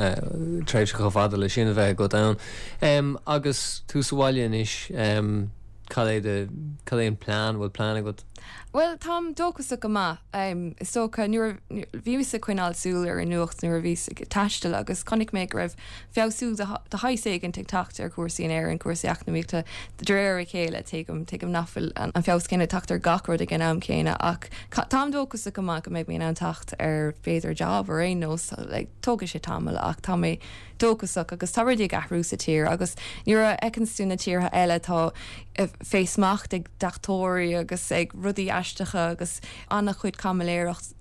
tréimhse chomh fada le sin a bheith agat ann. Agus tú sa bhaile anois, cad é do, cad é an plean, bhfuil plean agat? Bhuel, táim dóchasach go maith. Is dócha, nuair a bhíos ag coinneáil súil ar an nuacht nuair a bhíos ag taisteal agus chonaic mé go raibh feabhsú de shaghas éigint ag teacht ar chúrsaí in Éirinn, cúrsaí eacnamaíochta de réir a chéile. Tuigim, tuigim nach bhfuil an feabhas céanna ag teacht ar gach rud ag an am céanna ach táim dóchasach go maith go mbeidh mé in ann teacht ar b'fhéidir job ar aon nós. Tógfaidh sé tamall ach tá mé dóchasach agus tá rudaí ag athrú sa tír agus nuair a fheiceanns tú na tíortha eile tá fé smacht ag deachtóirí agus ag rudaí aisteacha agus an-chuid caimiléireacht.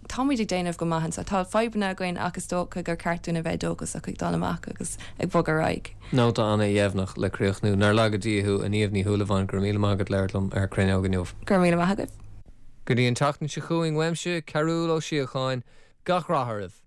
Táimid ag déanamh go maith anseo. Tá fadhbanna againn ach is dócha gur ceart dúinn a bheith dóchasach ag dul amach agus ag bogadh ar aghaidh. Nóta ana-dheimhneach le críochnú. Nár laga Dia thú, a Niamh Ní Shúilleabháin, go raibh míle maith agat labhairt liom ar Cruinneog inniu. Go raibh míle maith agat. Go dtí an tseachtain seo chugainn uaimse, Cearúll Ó Síocháin, gach rath oraibh!